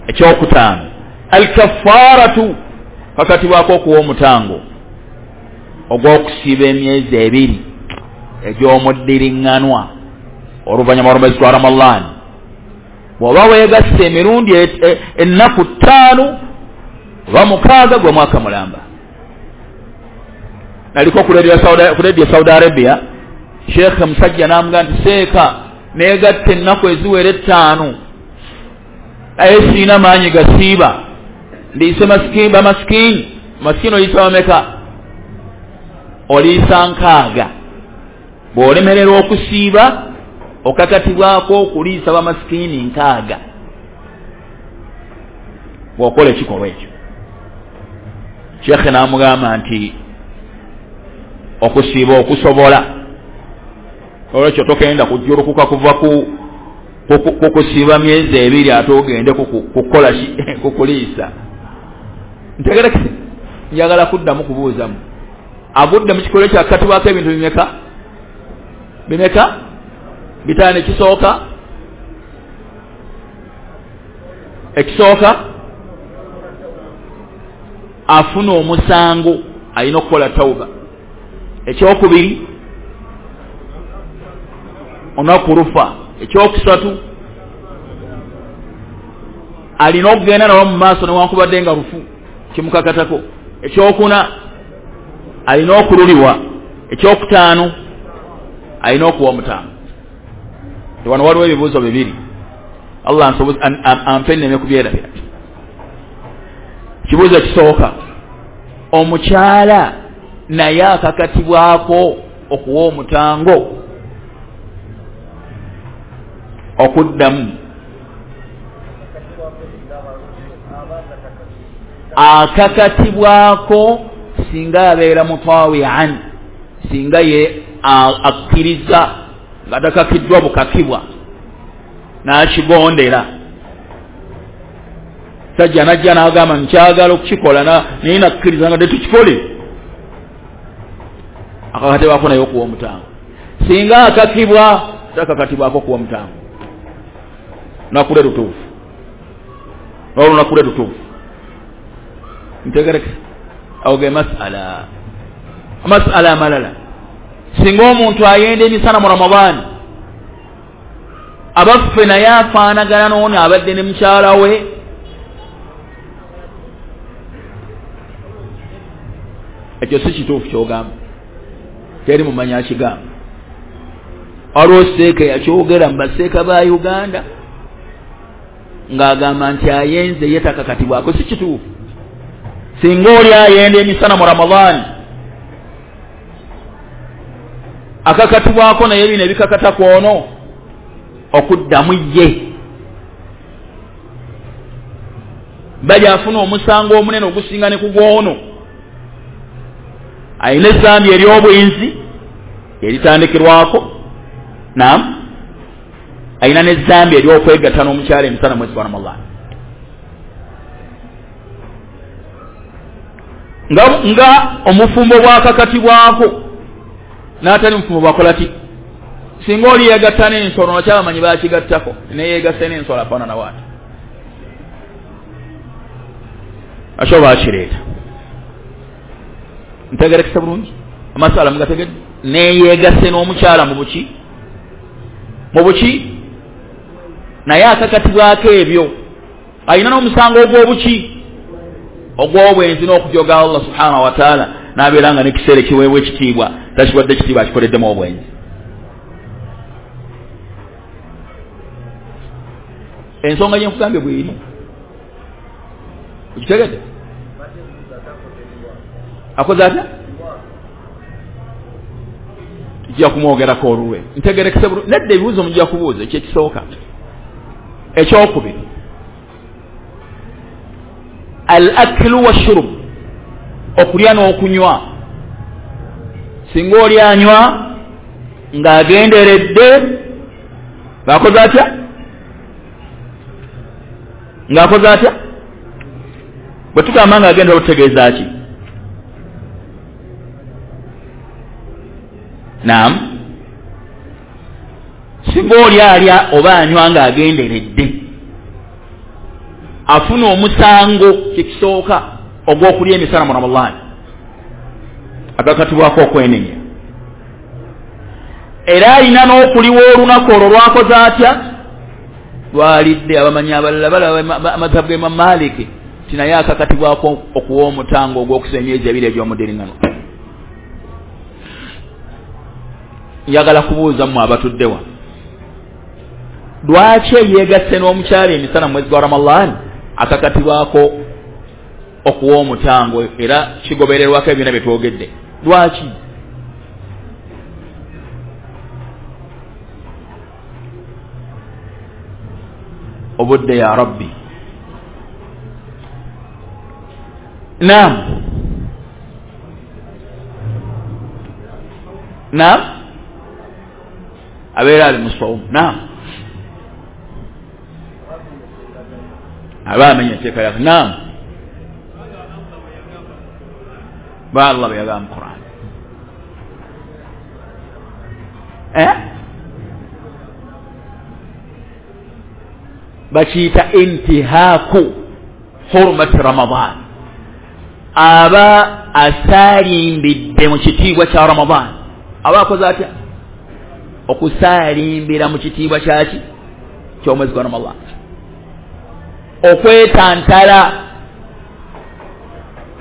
Ekyokutaano, alkafaratu, okakatibwako okuwa omutango ogw'okusiiba emyezi ebiri egy'omuddiriŋŋanwa oluvannyuma lw'omwezi gwa Ramadaani. Bw'oba weegasse emirundi ennaku ttaano oba mukaaga, gwe mwaka mulamba. Naliko ku Radio Saudi Arabia, Sheikh musajja n'amugamba nti seeka neegatta ennaku eziwera ettaano, naye siina maanyi gasiiba, ndiise masikini bamasikini. Masikini oliisa bameka? Oliisa nkaaga. Bw'olemererwa okusiiba, okakatibwako okuliisa bamasikini nkaaga bw'okola ekikolwa ekyo. Sheikh n'amugamba nti okusiiba okusobola, olwekyo tokenda kujjulukuka kuva ku kukusiiba myezi ebiri ate ogende kukola kukuliisa. Ntegerekese, njagala kuddamu kubuuzamu. Agudde mu kikolwa ekyo akakatibwako ebintu bimeka? Bimeka? Bitaano. Ekisooka, ekisooka afuna omusango, alina okukola tawuba. Ekyokubiri, olunaku lufa. Ekyokusatu, alina okugenda nalwo mu maaso newankubadde nga lufu, kimukakatako. Ekyokuna, alina okululiwa. Ekyokutaano, alina okuwa omutango. Wano waliwo ebibuuzo bibiri, Allah ampe nneme kubyerabira. Kibuuzo ekisooka, omukyala naye akakatibwako okuwa omutango? Okuddamu, akakatibwako singa abeera mutawian, singa ye akkiriza nga takakiddwa bukakibwa n'akigondera. Sajja najja n'agamba nkyagala okukikola naye nakkiriza nga tetukikole, akakatibwako naye okuwa omutango. Singa akakibwa, takakatibwako okuwa omutango. Lunaku lwe lutuufu, n'olunaku lwe lutuufu. Ntegereke awo ge masala. Amasala amalala, singa omuntu ayenda emisana mu Ramadaani, abaffe naye afaanagana n'ono abadde ne mukyala we, ekyo si kituufu ky'ogamba, teri mumanyi akigamba. Waliwo seeka yakyogera mu baseeka ba Uganda ng'agamba nti ayenze ye takakatibwako. Si kituufu. Singa oli ayenda emisana mu Ramadaani, akakatibwako naye bino ebikakata kwono okuddamu ye, bali afuna omusango omunene ogusinga ne ku gwono. Alina ezambi ery'obwenzi eritandikirwako, naam, alina n'ezambi ery'okwegatta n'omukyala emisana mwezi gwa Ramadaani. Nga, nga omufumbo bwakakatibwako n'atali mufumbo bwakola ki? Singa oli yeegatta n'ensolo, nakyabamanyi bakigattako, neyeegasse n'ensolo afaanana waati, akyo bakireeta. Ntegerekesa bulungi amasala mugategedde? Neyeegasse n'omukyala mu buki? Mu buki? Naye akakatibwako ebyo alina n'omusango ogw'obuki, ogw'obwenzi n'okujoga Allah subhanahu wa ta'ala, n'abeera nga n'ekiseera ekiweebwa ekitiibwa takiwadde ekitiibwa, akikoleddemu obwenzi. Ensonga gye nkugambye bw'eri, okitegedde? Akoze atya? Tujja kumwogerako olulwe. Ntegerekese bulungi. Nedda ebibuuzo mujja kubuuza, ekyo ekisooka. Ekyokubiri, al aklu washurub, okulya n'okunywa. Singa oli anywa ng'agenderedde, ng'akoze atya? Ng'akoze atya? Bwe tugamba ng'agendera otutegeeza ki? Naam, singa oli alya oba anywa ng'agenderedde, afuna omusango kyekisooka ogw'okulya emisana mu Ramadhaani, agakatibwako okwenenya. Era alina n'okuliwa olunaku olwo lwakoze atya? Lwalidde. Abamanyi abalala balaba amazhabu ga Imam Maliki ti naye akakatibwako okuwa omutango ogw'okusa emyezi ebiri egy'omudiriŋŋano. Njagala kubuuza mmwe abatuddewa, lwaki eyeegasse n'omukyala emisana mu mwezi gwa Ramadhaani akakatibwako okuwa omutango, era kigobererwako ebyonna bye twogedde? Lwaki? Obudde ya Rabbi. Naam, naam, abeera ali musawumu. Naam, aba amenya etteeka lyaffe. Naam, ba Allah bwe yagamba mu Quran. Eh? Bakiyita intihaku hurmati Ramadan, aba asaalimbidde mu kitiibwa kya Ramadan. Aba akoze atya? Okusaalimbira mu kitiibwa kyaki? Ky'omwezi gwa Ramadan, okwetantala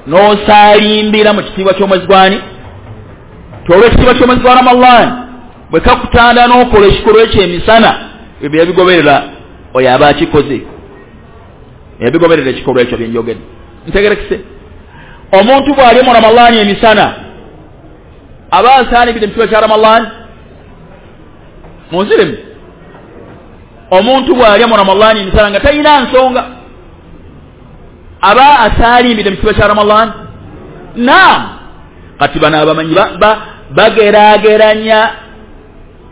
n'osaalimbira mu kitiibwa ky'omwezi gwani? Olw'ekitiibwa ky'omwezi gwa Ramadan bwe kakutanda n'okola ekikolwa ekyo emisana, ebyo yabigoberera oyo aba akikoze, yabigoberera ekikolwa ekyo byenjogedde. Ntegerekese, omuntu bw'ali mu Ramadan emisana aba asaalimbidde mu kitiibwa kya Ramadan? Munziremu. Omuntu bw'alya mu Ramadan emisana nga talina nsonga, aba asaalimbidde mu kitiibwa kya Ramadan? Naam. Kati bano abamanyi bageraageranya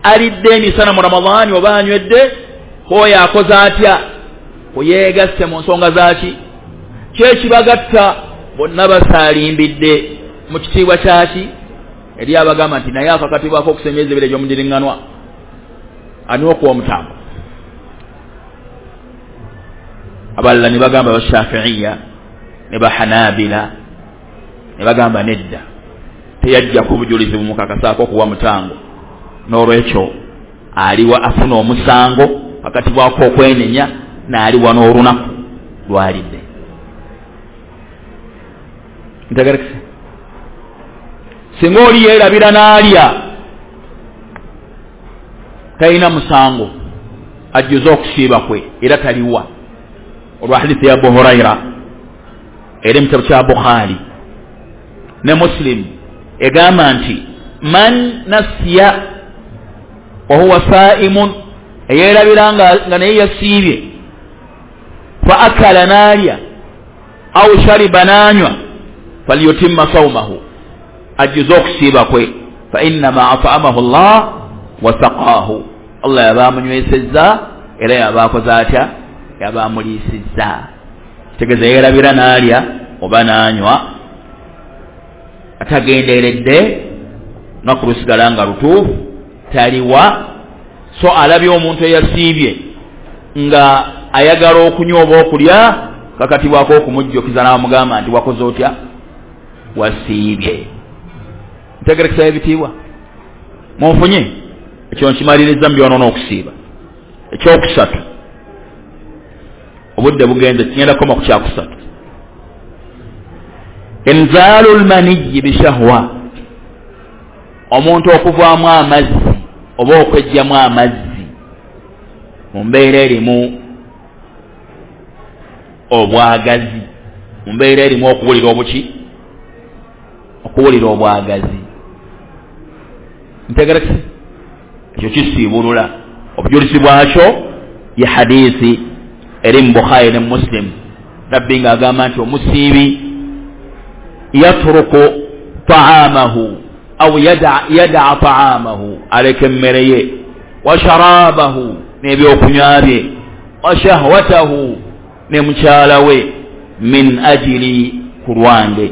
alidde emisana mu Ramadan oba anywedde, oyo akoze atya? Kuyeegasse mu nsonga zaaki? Kyekibagatta bonna basaalimbidde mu kitiibwa kyaki? Eri abagamba nti naye akakatibwako okusa emyezi ebiri egy'omudiriŋŋanwa, anywa okuwa omutango. Abalala ne bagamba Bashafiiya ne Bahanabila ne bagamba nedda, teyajjako obujulizi bumukakasaako okuwa mutango, n'olwekyo aliwa afuna omusango akatibwako okwenenya, n'aliwa n'olunaku lwalidde. Ntegerekese, singa oli yeerabira n'alya talina musango, ajjuze okusiiba kwe era taliwa. Olwa hadithi ya Abu Huraira eri mu kitabo kya Bukhari ne Muslim egamba nti man nasiya wa huwa saimun, eyeerabira nga naye yasiibye, fa akala n'alya au shariba n'anywa, falyutimma sawmahu, ajjuze okusiiba kwe, fa innama at'amahu Allah wa saqaahu, Allah yaba amunywesezza era yaba akoze atya? Yaba amuliisizza. Kitegeeza yeerabira n'alya oba n'anywa atagenderedde, lunaku lusigala nga lutuufu, taliwa. So alabye omuntu eyasiibye nga ayagala okunywa oba okulya, kakatibwako okumujjukiza n'amugamba nti wakoze otya? Wasiibye. Ntegerekesa ebitiibwa munfunye? Ekyo nkimaliriza mu byonoona okusiiba. Ekyokusatu, obudde bugenze, kigenda kukoma ku kyakusatu. Inzaalu lmaniyi bishahwa, omuntu okuvaamu amazzi oba okwejjamu amazzi mu mbeera erimu obwagazi, mu mbeera erimu okuwulira obuki, okuwulira obwagazi. Ntegerekese ekyo kisiibulula. Obujulizi bwakyo ye hadiisi eri mu Bukhari ne Muslim, Nabbi ng'agamba nti omusiibi yatruku taamahu au yadaa taamahu, aleka emmere ye, wa sharabahu, n'ebyokunywa bye, wa shahwatahu, ne mukyala we, min ajili, ku lwange.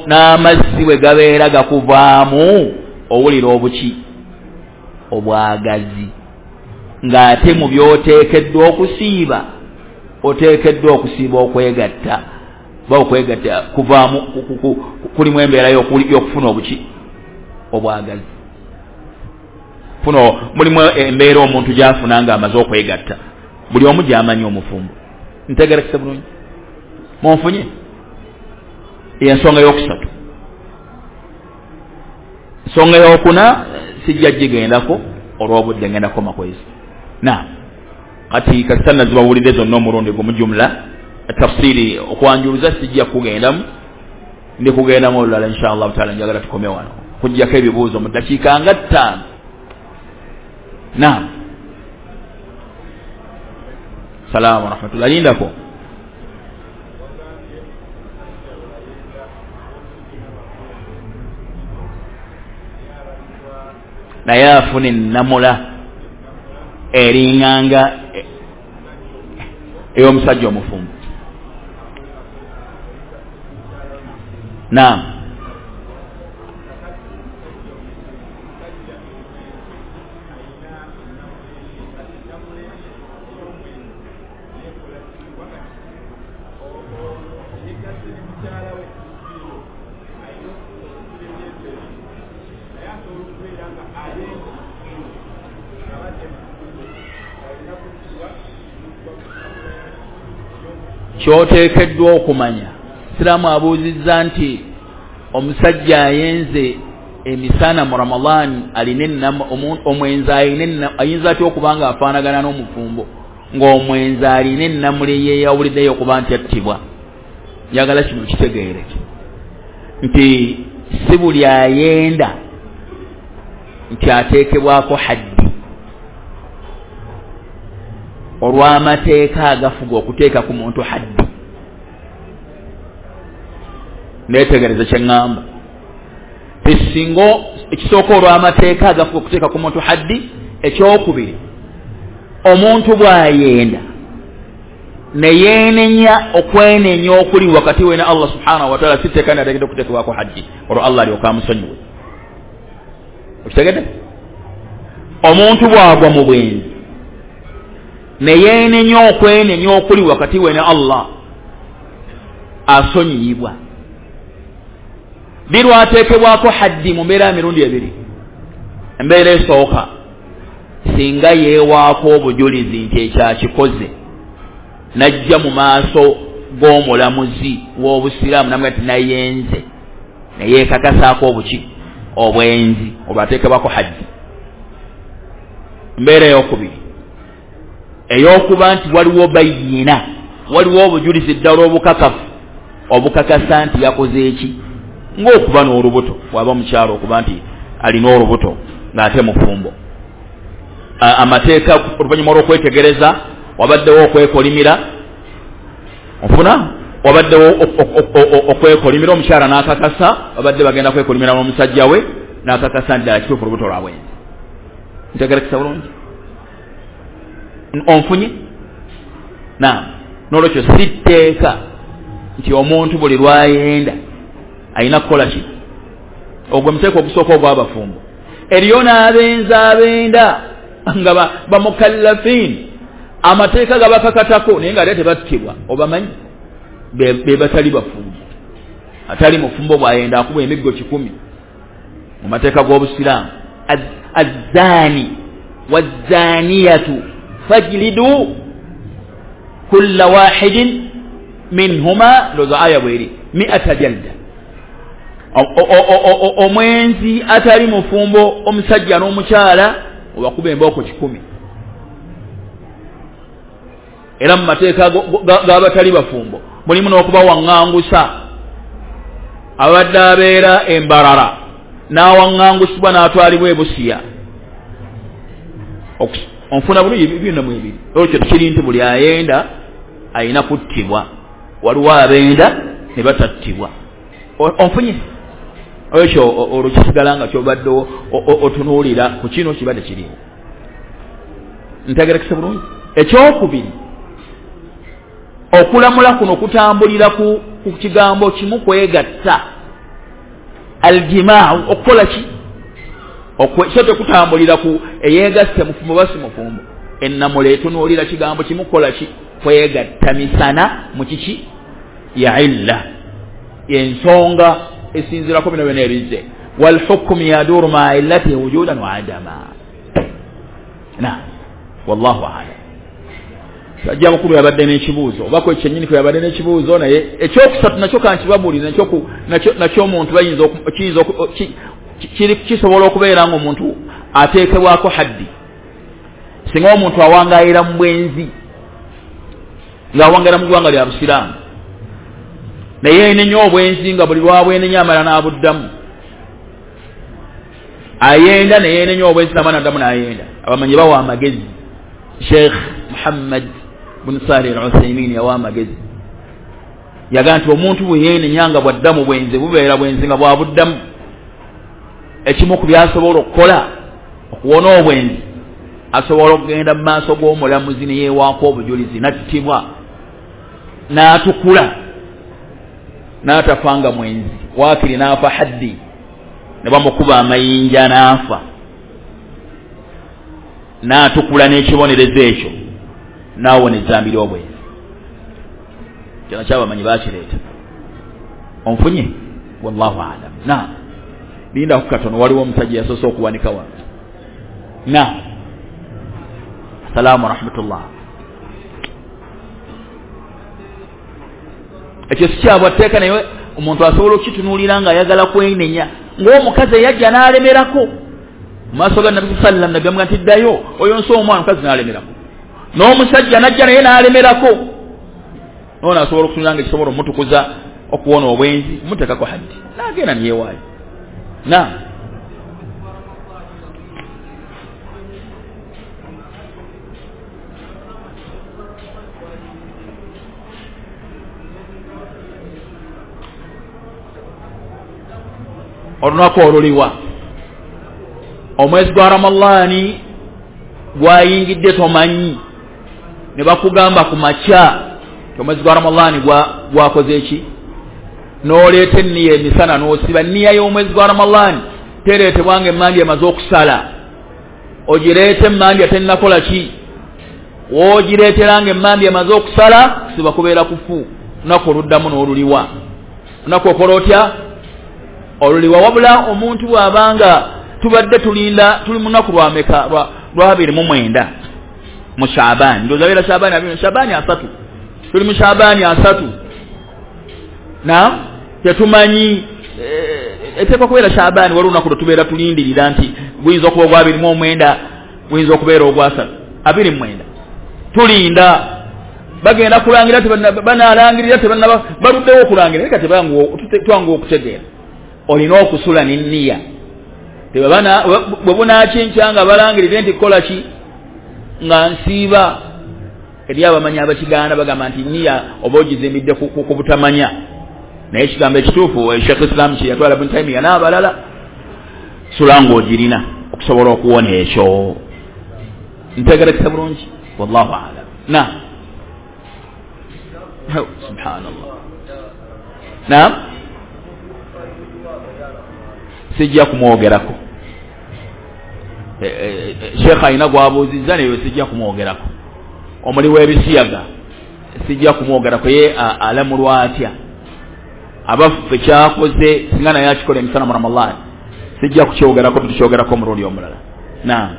N'amazzi bwe gabeera gakuvaamu owulira obuki, obwagazi, ng'ate mu by'oteekeddwa okusiiba oteekeddwa okusiiba okwegatta, oba okwegatta kuvaamu kulimu embeera y'okufuna obuki, obwagazi. Funo mulimu embeera omuntu gy'afuna ng'amaze okwegatta, buli omu gy'amanyi omufumbo. Ntegerekese bulungi? Munfunye? Ensonga y'okusatu. Ensonga y'okuna sijja gigendako olw'obudde, ngenda kukoma kwezi. Na kati kasita nazibawulidde zonna omulundi gumu jumla tafsiri okwanjuluza sijja kugendamu, ndi kugendamu olulala insha Allahu taala. Njagala tukome wano kujjako ebibuuzo mu ddakiika nga ttaano. Naam, salaamu warahmatullah. Lindako naye afuna ennamula eringanga ey'omusajja omufumbo. Naam, kyoteekeddwa okumanya, Siraamu abuuzizza nti omusajja ayenze emisana mu Ramadhan alina omwenzi alina ayinza atya okuba nga afaanagana n'omufumbo ng'omwenzi alina ennamula eyeyawuliddeyo okuba nti attibwa. Njagala kino kitegeere nti si buli ayenda nti ateekebwako haddi olw'amateeka agafuga okuteeka ku muntu haddi. Neetegereze kye ŋŋamba, esinga ekisooka olw'amateeka agafuga okuteeka ku muntu haddi. Ekyokubiri, omuntu bw'ayenda ne yeenenya okwenenya okuli wakati we ne Allah subhanahu wa taala, si tteeka nateekeddwa okuteekebwako haddi olwo Allah alyoke amusonyiwe. Okitegedde? Omuntu bw'agwa mu bwenzi ne yeenenya okwenenya okuli wakati we ne Allah, asonyiyibwa. Birwateekebwako haddi mu mbeera emirundi ebiri. Embeera esooka, singa yeewaako obujulizi nti ekyakikoze, najja mu maaso g'omulamuzi w'obusiraamu namuga nti nayenze, ne yeekakasaako obuki, obwenzi, olwo ateekebwako haddi. Embeera eyokubiri, ey'okuba nti waliwo bayina, waliwo obujulizi ddala obukakafu obukakasa nti yakoze eki, ng'okuba n'olubuto, bw'aba mukyalo okuba nti alina olubuto ng'ate mufumbo. Amateeka oluvannyuma olw'okwetegereza wabaddewo okwekolimira, onfuna, wabaddewo okwekolimira omukyala n'akakasa, babadde bagenda kwekolimira n'omusajja we n'akakasa nti ddala kituufu olubuto lwa bwenzi. Ntegerekesa bulungi? Onfunye? Naam. N'olwekyo si tteeka nti omuntu buli lwayenda alina kukola ki. Ogwo muteeko ogusooka ogw'abafumbo. Eriyo n'abenzi abenda nga bamukallafin, amateeka gabakakatako naye nga ate tebattibwa, obamanyi be batali bafumbo. Atali mufumbo bw'ayenda akuba emiggo kikumi mu mateeka g'obusiraamu. Azzaani wazzaaniyatu fajlidu kulla wahidin minhuma, ndowooza aya bweri, mi'ata jalda. Omwenzi atali mufumbo, omusajja n'omukyala, obakuba embooko kikumi. Era mu mateeka g'abatali bafumbo mulimu n'okubawaŋŋangusa. Abadde abeera embarara n'awaŋŋangusibwa n'atwalibwa ebusiya. Onfuna bulungi byonna mu ebiri. Olwo kiri nti buli ayenda ayina kuttibwa, waliwo abenda ne batattibwa. Onfunye ekyo olwo kisigala nga kyobadde otunuulira ku kino kibadde kiriwo. Ntegerekese bulungi. Ekyokubiri, okulamula kuno kutambulira ku kigambo kimu, kwegatta, aljimaa, okukola ki, so tekutambulira ku eyeegasse mufumbo basi mufumbo. Ennamula etunuulira kigambo kimu, kukola ki, kwegatta misana mu kiki ya illa, ensonga esinziirako bino byonna ebizze. Walhukmu yaduru maa illatihi wujudan wa adama. Na wallahu a'lam. Sajja mukulu yabadde n'ekibuuzo, oba kwe kyennyini kwe yabadde n'ekibuuzo. Naye ekyokusatu nakyo kankibabuulire, nakyo nakyo omuntu bayinza kiyinza kisobola okubeera ng'omuntu ateekebwako haddi. Singa omuntu awangaayira mu bwenzi, ng'awangaayira mu ggwanga lya Busiraamu, naye yenenya obwenzi nga buli lwabwenenya amala n'abuddamu, ayenda naye yenenya obwenzi n'amala n'addamu n'ayenda. Abamanyi bawa amagezi. Sheikh Muhammad bin Salih al-Uthaymin yawa amagezi, yagamba nti omuntu bwe yeenenya nga bwaddamu bwenzi, bubeera bwenzi nga bwabuddamu, ekimu ku byasobola okukola okuwona obwenzi, asobola okugenda mu maaso g'omulamuzi ne yeewaako obujulizi n'attibwa n'atukula n'atafa nga mwenzi, waakiri n'afa haddi ne bamukuba amayinja n'afa, n'atukula n'ekibonerezo ekyo n'awona ezzambi ly'obwenzi. Kino kyabamanyi bakireeta. Onfunye? Wallahu a'lam. Na lindako katono, waliwo omusajja yasoose okuwanika wano. Na assalamu warahmatullah. Ekyo si kyabwatteeka, naye omuntu asobola okukitunuulira ng'ayagala kwenenya, ng'omukazi eyajja n'alemerako mu maaso ga Nabbi sallam, Nabbi amugamba nti ddayo oyo nsi omwana, omukazi n'alemerako, n'omusajja n'ajja naye n'alemerako. Ono asobola okutunula nga ekisobola omutukuza okuwona obwenzi, muteekako haddi n'agenda niyewaayo. Na olunaku oluliwa omwezi gwa Ramadhaani gwayingidde tomanyi, ne bakugamba ku makya omwezi gwa Ramadhaani gwakoze ki, n'oleeta enniya emisana n'osiba. Enniya y'omwezi gwa Ramadhaani tereetebwa nga emmandya emaze okusala, ogireeta emmandya tennakola ki, w'ogireetera nga emmandya emaze okusala, kusiba kubeera kufu. Olunaku oluddamu n'oluliwa, olunaku okola otya oluliwa. Wabula omuntu bw'abanga tubadde tulinda, tuli mu lunaku lwameka, lwa abiri mu mwenda mu Shaabani, ndowooza beera Shaabani abiri, Shaabani asatu, tuli mu Shaabani asatu, na tetumanyi eteekwa kubeera Shaabani. Waliwo olunaku lwe tubeera tulindirira nti guyinza okuba ogwa abiri mu omwenda, guyinza okubeera ogwasatu, abiri mu mwenda, tulinda bagenda kulangira, banaalangirira tebannaba, baluddewo okulangira, naye kati twanguwa okutegeera. Olina okusula n'enniya, bwe bunaakinkya nga balangirire nti kukola ki, nga nsiiba. Eri abamanyi abakigaana bagamba nti nniya oba ogizimbidde ku butamanya, naye ekigambo ekituufu Sheikh Islam kye yatwala Ibn Taymiyyah n'abalala, sula ng'ogirina okusobola okuwona ekyo. Ntegerekesa bulungi? Wallahu a'lam. Na subhanallah. Na sijja kumwogerako. Sheikh alina gwabuuzizza naye sijja kumwogerako. Omuli w'ebisiyaga sijja kumwogerako, ye alamulwa atya, abaffe kyakoze singa naye akikola emisana mu Ramadhaani, sijja kukyogerako, tukyogerako omulundi omulala. Naam.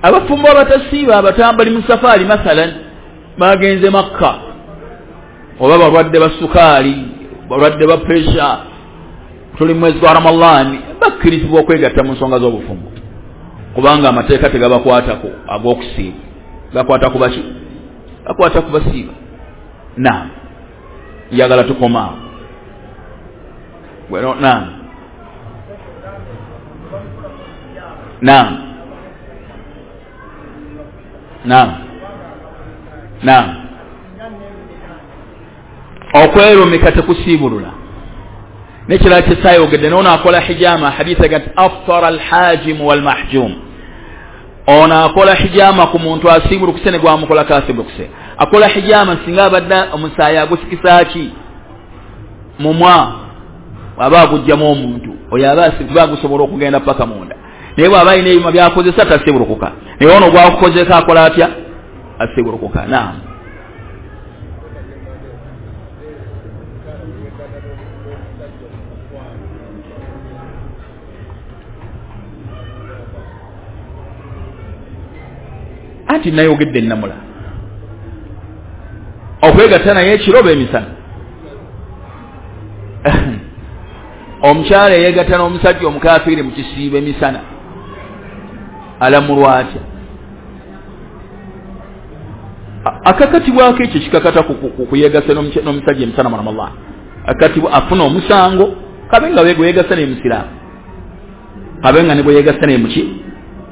Abafumbo abatasiiba abatambali mu safaari, mathalan bagenze Makka, oba balwadde ba sukaali, balwadde ba pressure, tuli mwezi gwa Ramadhaani, bakkirizibwa okwegatta mu nsonga z'obufumbo, kubanga amateeka tegabakwatako ag'okusiiba, gakwata ku baki? Gakwata ku basiiba. Naam, njagala tukomaawo. Naam, naam, naam, naam. Okwerumika tekusiibulula. Nekirala kyesayogedde, noono akola hijama, haditha gati aftara alhajimu walmahjum, ono akola hijama ku muntu asiibulukuse ne gwamukolako asiibulukuse. Akola hijama singa abadde omusaayi agusikisa ki mumwa, aba agugjamu omuntu oyo aba asiba gusobola okugenda paka munda, naye bw'aba alina ebyuma byakozesa tasiibulukuka, naye ono gwakukozeko akola atya? Asiibulukuka. Naam. Anti nayogedde ennamula okwegatta naye ekiro oba emisana. Omukyala eyeegatta n'omusajja omukafiiri mu kisiibo emisana alamulwa atya? Akakatibwako ekyo kikakata kuyeegasa n'omusajja emisana mu Ramadhan, akakatibwa afuna omusango, kabe nga bwe yeegasa naye musiraamu, kabe nga ne bwe yeegasa naye muki,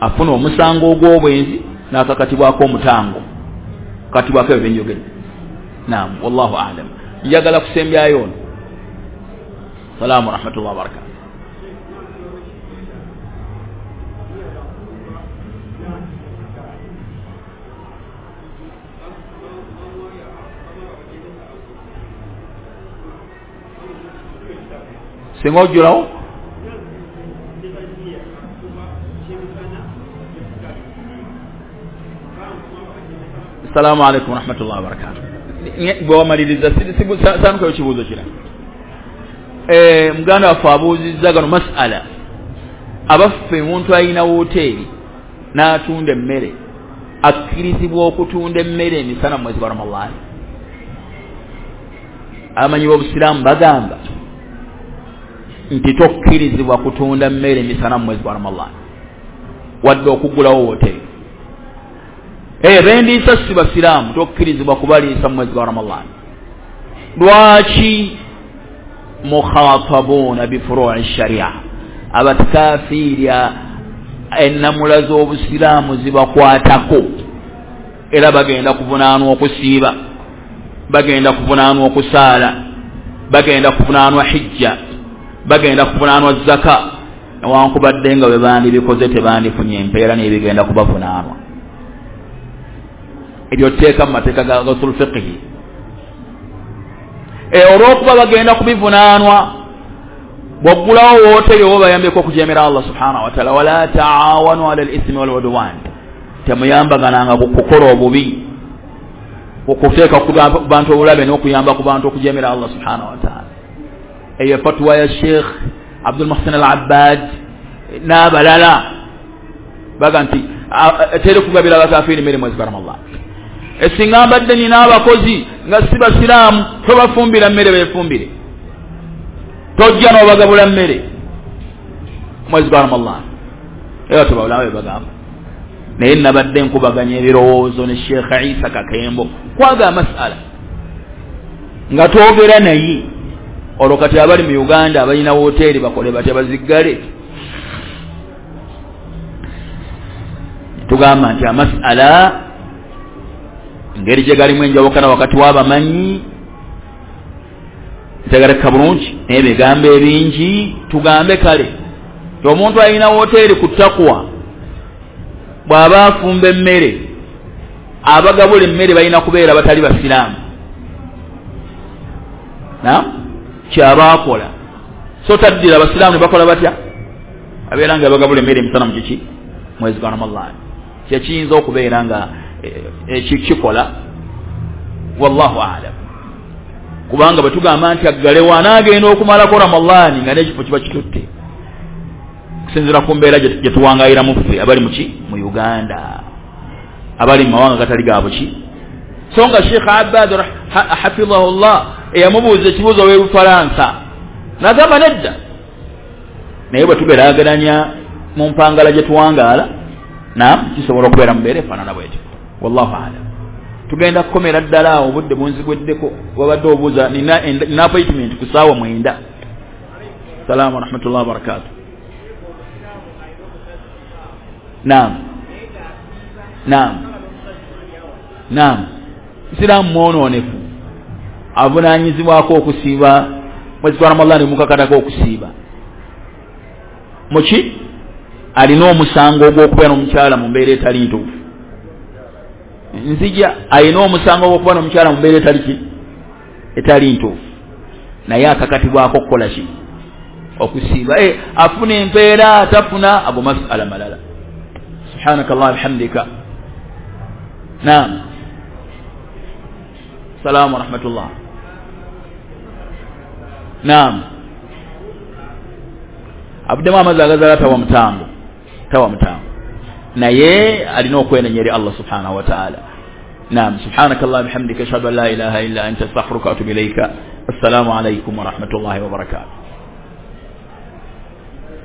afuna omusango ogw'obwenzi n'akakatibwako omutango, katibwako ebyo byenjogedde. Naam, wallahu a'lam. Njagala kusembyayo ono. Salaamu warahmatullahi wabarakatuh. Singa ojjulawo Assalamu alaikum warahmatullahi wabarakatuh. Bwewamaliriza sanukayo kibuuzo kira. Muganda waffe abuuzizza gano masala, abaffe omuntu alina woteeri n'atunda emmere akkirizibwa okutunda emmere emisana mu mwezi gwa Ramadhaani? Abamanyi b'obusiraamu bagamba nti tokkirizibwa kutunda mmere emisana mu mwezi gwa Ramadhaani wadde okuggulawo woteeri. Eh, bendiisa si basiraamu, tokkirizibwa kubaliisa mu mwezi gwa Ramadhaani. Lwaki? Mukhatabuna bifuru'i sharia, abatikafiiri ennamula z'obusiraamu zibakwatako, era bagenda kuvunaanwa okusiiba, bagenda kuvunaanwa okusaala, bagenda kuvunaanwa hijja, bagenda kuvunaanwa zaka, newankubadde nga bwe bandibikoze tebandifunye empeera n'ebigenda kubavunaanwa. Ebyo tteeka mu mateeka ga usul fiqhi. E olw'okuba bagenda kubivunaanwa, bw'oggulawo wooteeri oba bayambeko okujeemera Allah subhanahu wa taala. Wala taawanu ala al-ithmi wal udwan, temuyambagananga ku kukola obubi, okuteeka ku bantu obulabe n'okuyamba ku bantu okujeemera Allah subhanahu wa taala. Eyo fatwa ya Sheikh Abdul Muhsin Al-Abbad n'abalala baga nti teri kugabira abakafiiri mmere mwezi gwa Ramadhan. Esinga mbadde nina abakozi nga si basiraamu, tobafumbira mmere beefumbire, tojja n'obagabula mmere mwezi gwa Ramadhan. Era tubawulawo bagamba. Naye nabadde nkubaganya ebirowoozo ne Sheikh Isa Kakembo kwaga masala nga twogera naye, olwo kati abali mu Uganda abalina woteeri bakole batya? Baziggale? Tugamba nti amasala engeri gye galimu enjawukana wakati w'abamanyi ntegereka bulungi n'ebigambo ebingi. Tugambe kale ti omuntu alina woteeri ku takuwa bw'aba afumba emmere, abagabula emmere balina kubeera batali basiraamu, na kyaba akola so taddira abasiraamu ne bakola batya? Abeera nga bagabula emmere emisana mu kiki? Mwezi gwa Ramadhaani. Kyekiyinza okubeera nga ekikikola Wallahu alam. Kubanga bwe tugamba nti aggalewo, anaagenda okumalako Ramadaani nga n'ekifo kiba kitutte, kusinziira ku mbeera gye tuwangayiramu ffe abali muki mu Uganda, abali mu mawanga gatali ga buki. So nga Sheikh Abbad hafidhahullah eyamubuuza ekibuuzo w'Ebufalansa n'agamba nedda, naye bwe tugeraageranya mu mpangala gye tuwangaala, naam, kisobola okubeera mu mbeera efaanana bwetyo. Wallahu alam. Tugenda kukomera ddala awo, obudde bunzigweddeko. Wabadde obuuza, nina nina appointment ku ssaawa mwenda. Salaamu warahmatullahi wabarakatuh. Naam, naam, naam. Musiraamu mwonoonefu avunaanyizibwako okusiiba mwezi gwa Ramadhaani, mukakatako okusiiba muki, alina omusango ogw'okubeera n'omukyala mu mbeera etali ntuufu. Nzija, alina omusango ogw'okuba n'omukyala mu mbeera etali ki, etali ntuufu, naye akakatibwako okukola ki? Okusiiba. E, afuna empeera, atafuna, ago masala malala. Subhanaka Allah bihamdika. Naam. Salaamu warahmatullah. Naam. Avuddemu amazzi agazaala tawa mutango, tawa mutango, naye alina okwenenya eri Allah subhanahu wa ta'ala. Naam. Subhanaka Allah bihamdika, ashhadu an la ilaha illa anta, astaghfiruka wa atubu ilayka. Assalamu alaykum wa rahmatullahi wa barakatuh.